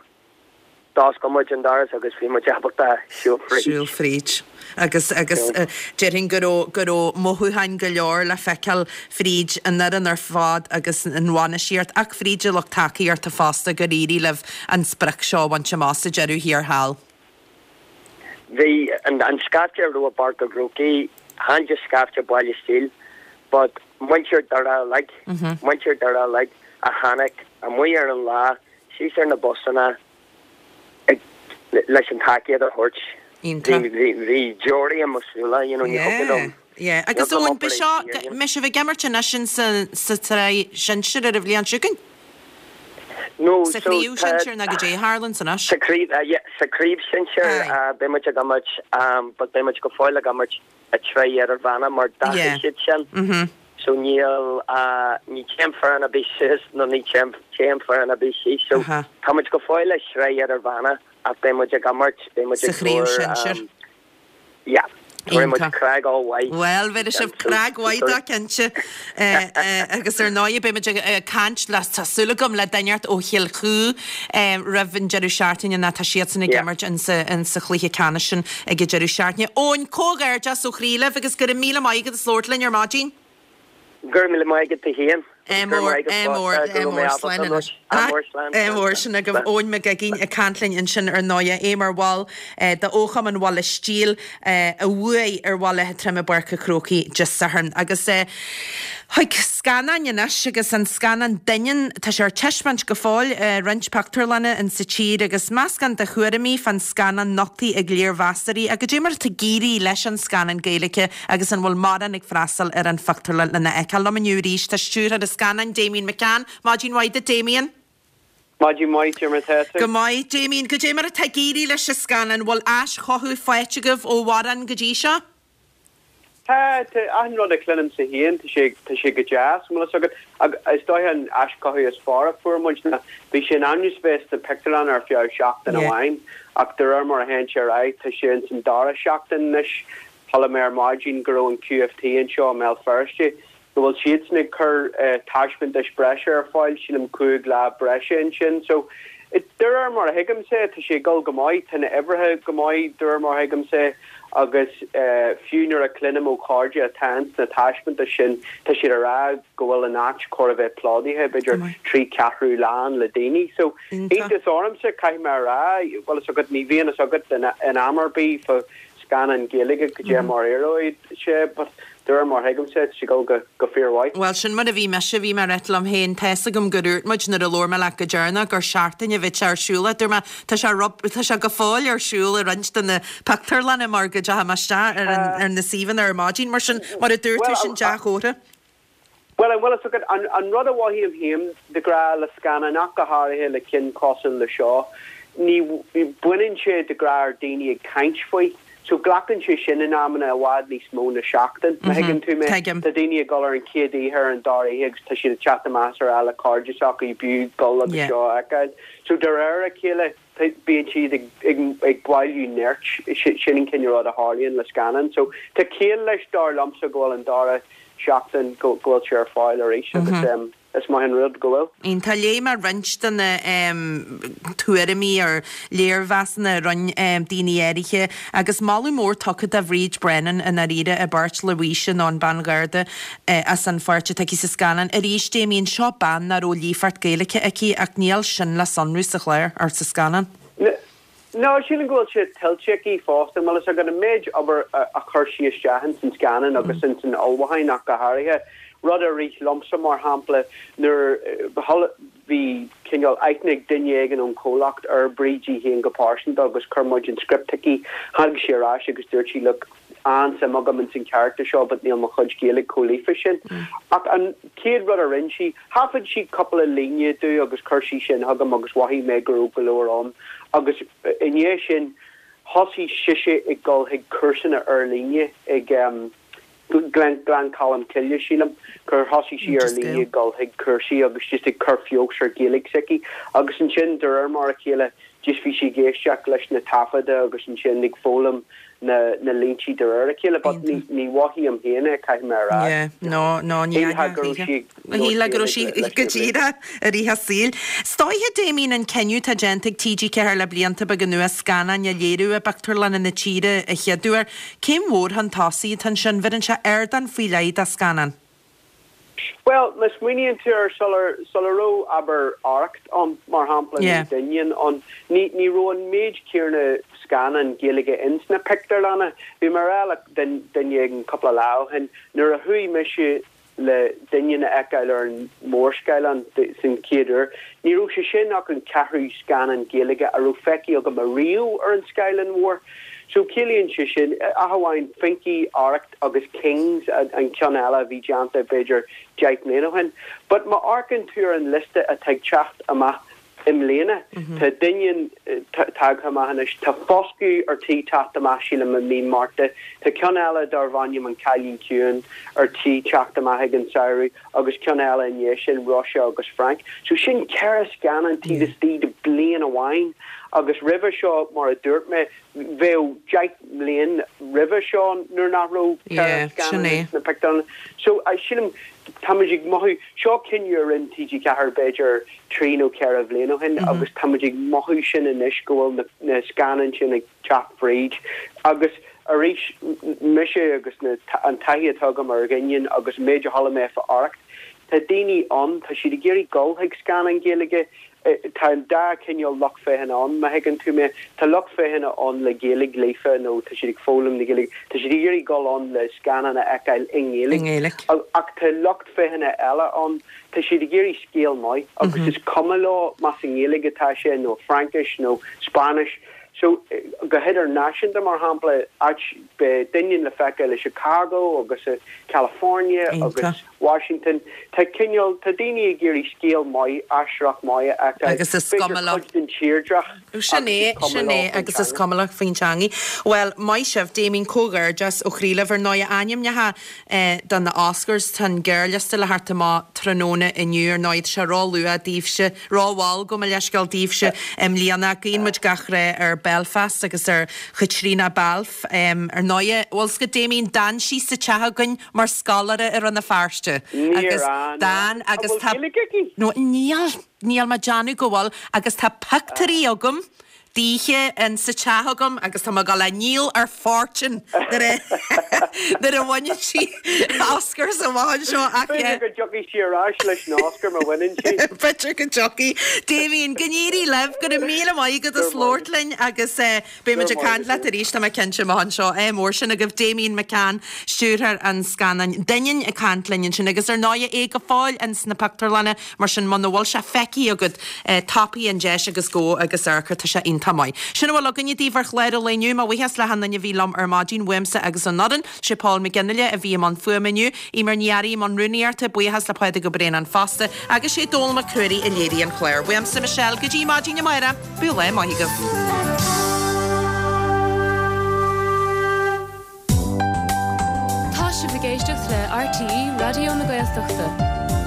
d'oscail muid an doras agus bhí muid ábalta siúl fríd. Siúl fríd. Agus, agus déarfainn go raibh, go raibh mothúcháin go leor le feiceáil fríd an fhoireann ar fad agus an bhainistíocht ach fríd an lucht tacaíochta fosta gur éirigh libh an sprioc seo a bhaint amach sa deireadh thiar thall. Bhí an scaifte a raibh i bPáirc an Chrócaigh, chan just scaifte Baile Stíl, but muintir Doire uilig, muintir Doire uilig a tháinig amuigh ar an lá, síos ar na busanna ag, leis an tacaíocht a thabhairt. Iontach. Bhí, bhí deoraí i mo súile, you know, ní thiocfadh liom. Yeah, yeah. Agus Eoin, beidh seo, mbeidh sibh ag imirt anois in sa, sa tsraith shinsir ar an bhliain seo chugainn? No, Sa so chraobh tá, shinsir nó goidé a tharlaíonns anois? sa chraobh, yeah, sa chraobh shinsir, Aye. beidh muid ag imirt, but beidh muid go fóill ag imirt i tsraith idirmheánach mar Yeah. d'athraigh siad sin. Mhm. So níl, ní téann foireann ar bith suas nó ní téann, téann foireann ar bith síos. So Aha. tá muid go fóill i sraith idirmheánach ach beidh muid ag imirt, beidh muid Sa ag chraobh cur, shinsir. yeah. Tabharfaidh muid Iontach. craic ollmhaith. Bhuel, bhéarfaidh sibh craic mhaith dó cinnte. Agus ar ndóigh beidh muid ag caint le, tá súil agam, le duine inteacht ó Chill Chú roimh an deireadh seachtaine nó tá siadsan ag Yeah. imirt insa chluiche ceannais sin ag an deireadh seachtaine. Eoin, comhghairdeas ó chroí libh agus go raibh míle maith agat as labhairt linn ar maidin. Go raibh míle maith agat tú féin. Ádh mór, ádh mór, ádh mór, slán anois. Ádh mór, slán. Ádh mór, sin agaibh Eoin Mac Uiginn ag caint linn ansin ar ndóighe, é mar bhall de fhochumann Bhaile Stíl a bhuaigh ar Bhaile Átha Troim i bPáirc an Chrócaigh Dé Sathairn. Agus chuig scannáin anois agus an scannán Doineann, tá sé ar taispeáint go fóill i roinnt pictiúrlanna in sa tír agus meascán de thuairimí fán scannán nochtaithe ag léirmheastóirí. Ach goidé mar atá ag éirí leis an scannán Gaeilge Agus an bhfuil mórán ag freastal ar an phictiúrlann lena fheiceáil? Liom inniu arís tá stiúrthóir an scannáin, Damian McCann. Maidin mhaith duit, Damian. Maidin mhaith, goidé mar atá tú. Go maith, Damian. Goidé mar atá ag éirí leis an scannán? An bhfuil aischothú faighte agaibh ó mhórán go dtí seo? Tá, tá. Achan rud a chluinimse féin, tá sé, tá sé go deas, an bhfuil fhios agat. Ach is dóiche an aischothú is fearr a fuair muid ná bhí sé in ainm is bheith sna pictiúrlanna ar feadh seachtain amháin ach de réir mar a théann sé ar aghaidh tá sé ins an dara seachtain anois. Chuala mé ar maidin go raibh an QFT anseo i mBéal Feirste, go bhfuil siadsan ag cur taispeántais breise ar fáil, sílim 5 lá breise ansin. So, de réir mar a thuigimse, tá sé ag dul go maith, tá na huimhreacha go maith de réir mar a thuigimse agus fiú nuair a chluinim ó chairde atá ins na taispeántais sin, tá siad a rá go bhfuil an áit chóir a bheith plódaithe, b'fhéidir 3 ceathrú lán le daoine. So, iontas ormsa, caithfidh mé a rá, bhfuil fhios agat, ní bhíonn fhios agat in am ar bith fá scannán Gaeilge goidé mar a éireoidh sé but de réir mar a thuigimse tá sé ag dul go go fíormhaith. Bhuel, sin mar a bhí mise, bhí mé ag ráit liom féin, tá fhios agam gur dhúirt muid nuair a labhair mé leat go deireanach gur seachtain a bheadh sé ar siúl ach dúirt mé tá sé rub, tá sé go fóill ar siúl i roinnt de na pictiúrlanna mar go dteachaigh mé isteach ar an, ar na suíomhanna ar maidin mar sin, mar a dúirt tú, sin dea-chomhartha. Bhuel, an bhfuil fhios agat, an, an rud a mhothaím féin de ghnáth le scannáin, ach go háirithe le cinn cosúil le seo, ní, baineann sé de ghnáth ar daoine ag caint faoi. So glacann sé sin in amanna i bhfad níos mó na seachtain, má thuigeann tú mé. Tuigim. Tá daoine ag dul ar an chéad oíche, ar an dara oíche agus tá siad ag teacht amach is ag rá le cairde s'acu b'fhiú dul agus Yeah. seo a fheiceáil. So de réir a chéile, bíonn siad ag bailiú nirt, sin an cineál rud a tharlaíonn le scannán. So tá ciall leis dar liomsa go bhfuil an dara seachtain go bhfuil sé ar fáil arís agus is maith an rud go bhfuil. Iontach. Léigh mé roinnt de na tuairimí ar léirmheasanna a rinne daoine áirithe agus moladh mór tugtha do Bhríd Brennan i ndáiríre i bpáirt Louise nó an bean gharda as an pháirt atá aici sa scannán. Arís, Damien, seo bean nach raibh líofacht Gaeilge aici ach níl sin le sonrú sa chlár, or sa scannán. No, sílim go bhfuil sé tuillte aici fosta, an bhfuil fhios agat, an méid obair a chuir sí isteach ins an scannán agus ins an ullmhúchán ach go háirithe. Rud a rith liomsa, mar shampla, nuair. Bhí cineál aithne ag duine éigin ón chomhlacht ar Bríd í féin go pearsanta agus chuir muid an script chuici. Tháinig sí ar ais agus dúirt sí look, an-suim agam ins an charachtar seo but níl mo chuid Gaeilge chomh líofa sin. Ach an chéad rud a rinne sí, thaifead sí cúpla líne domh agus chuir sí sin chugam agus mhothaigh mé go raibh go leor ann agus i ndiaidh sin thosaigh sise ag dul chuig cúrsanna ar líne ag Gleann Cholm Cille, sílim, gur thosaigh sí ar líne ag dul chuig cúrsaí agus just ag cur feabhas ar Ghaeilge s'aici agus ansin de réir mar a chéile just bhí sí ag éisteacht leis na taifeadta agus ansin ag foghlaim na na línte de réir a chéile but ní ní mhothaím féin é, caithfidh mé a rá. Yeah, no, no, ní Shílfeá go raibh sí ag Shílfeá go raibh sí go díreach i rith a saoil. Is dóiche, Damien, an cinneadh atá déanta ag TG4 le blianta beaga anuas scannáin a léiriú i bpictiúrlanna na tíre a chéaduair, Céim mhór chun tosaigh atá ansin? Bheireann sé ardán faoi leith do scannán. Bhuel, má smaoiníonn tú air, sular, sula raibh, abair, Arracht ann, mar shampla, nó Doineann ann, ní, ní raibh an méid céanna scannán Gaeilge ins na pictiúrlanna. Bhí mé a rá le duine éigin cúpla lá ó shin, nuair a chuaigh mise le Doineann a fheiceáil ar an mórscáileán san chéad uair. Ní raibh sé sin ach an ceathrú scannán Gaeilge a raibh feicthe agam ariamh ar an scáileán mhór. So ciallaíonn sé sin, ach amháin Finky, Arracht agus Kings, an ceann eile a bhí déanta b'fhéidir 10 mbliana ó shin. But má amharcann tú ar an liosta atá ag teacht amach I mbliana, tá Doineann tagtha amach anois, tá Foscadh ar tí teacht amach, sílim, i mí Márta, tá ceann eile darbh ainm An Cailín Ciúin ar tí teacht amach ag an samhradh agus ceann eile i ndiaidh sin, Róise agus Frank. So sin ceithre scannán taobh istigh de bliain amháin agus roimhe seo, mar a dúirt mé, bheadh 10 mbliain roimhe seo nuair nach raibh 4 scannán sna pictiúrlanna. So, sílim, táimid ag mothú, seo cinneadh a rinne TG4 b'fhéidir trí nó ceithre bhliain ó shin agus táimid ag mothú sin anois go bhfuil na scannáin sin ag teacht fríd agus arís, mise agus an taithí atá agam ar Dhoineann agus an méid a chuala mé fá Arracht, tá daoine ann, tá siad ag iarraidh dul chuig scannán Gaeilge, Tá an dá chineál lucht féachana ann, má thuigeann tú mé. Tá lucht féachana ann le Gaeilge líofa nó tá siad ag foghlaim na Gaeilge, tá siad ag iarraidh dul ann le scannán a fheiceáil i nGaeilge. Ach tá lucht féachana eile ann, tá siad ag iarraidh scéal maith agus is cuma leo más i nGaeilge atá sé nó Fraincis nó Spáinnis. So, go hidirnáisiúnta, mar shampla, áit, beidh Doineann le feiceáil i Chicago agus i California agus. Washington. Tá cineál, tá daoine ag iarraidh scéal maith, aisteoireacht maith a fheiceáil. Agus is cuma leo. B'fhéidir cuid den tírdreach Sin é, sin é, agus is cuma leo faoin teangaidh. Bhuel, maith sibh, Damien, comhghairdeas ó chroí libh. Ar ndóigh, ainmnithe do na Oscars, tá an gearrliosta le theacht amach tráthnóna inniu. Ar ndóigh, tá sé ró-luath daoibhse, ró-mhall, gabh mo leithscéal, daoibhse i mbliana. Guíonn muid gach rath ar Belfast agus ar Chaitríona Balfe. Ar ndóigh, bhfuil 's agat, Damien, d'fhan sí sa teach againn mar scoláire i Rann na Feirste. Níor fhan. D'fhan agus An tá. bhfuil Gaeilge aici? No, níl, níl mé ag déanamh go bhfuil agus tá pictiúirí agam daoithe in sa teach agam agus tá mé ag dul á ndíol ar fortune nuair a nuair a bhaineann sí Oscars amach anseo ach B'fhéidir go dtiocfaidh sí ar ais leis an Oscar má bhaineann sí. B'fhéidir go dtiocfaidh. Damien, go n-éirí libh, go raibh míle maith agat as labhairt linn agus eh Beidh muid ag caint leat arís, tá mé cinnte, amach anseo. Ádh mór sin agaibh. Damien McCann, stiúrthóir an scannáin Doineann ag caint linn ansin agus ar ndóigh é go fóill ins na pictiúrlanna, mar sin muna bhfuil sé feicthe agat, tapaigh an deis agus gabh agus amharc air, tá sé iontach maith. Sin a bhfuil againne daoibh ar chlár an lae inniu. Mo bhuíochas le hachan duine a bhí liom ar maidin, uaimse agus ón fhoireann. Sé Paul McGinley a bhí i mbun fuaime inniu, Eimear Ní Fhearraigh i mbun rúnaíochta, buíochas le Pádraig Ó Braonáin fosta, agus sé Dónall Mac Ruairí a léirigh an clár. Uaimse, Michelle, go dtí maidin amárach. Bíodh lá maith agaibh. Tá sibh ag éisteacht le RTÉ Raidió na Gaeltachta.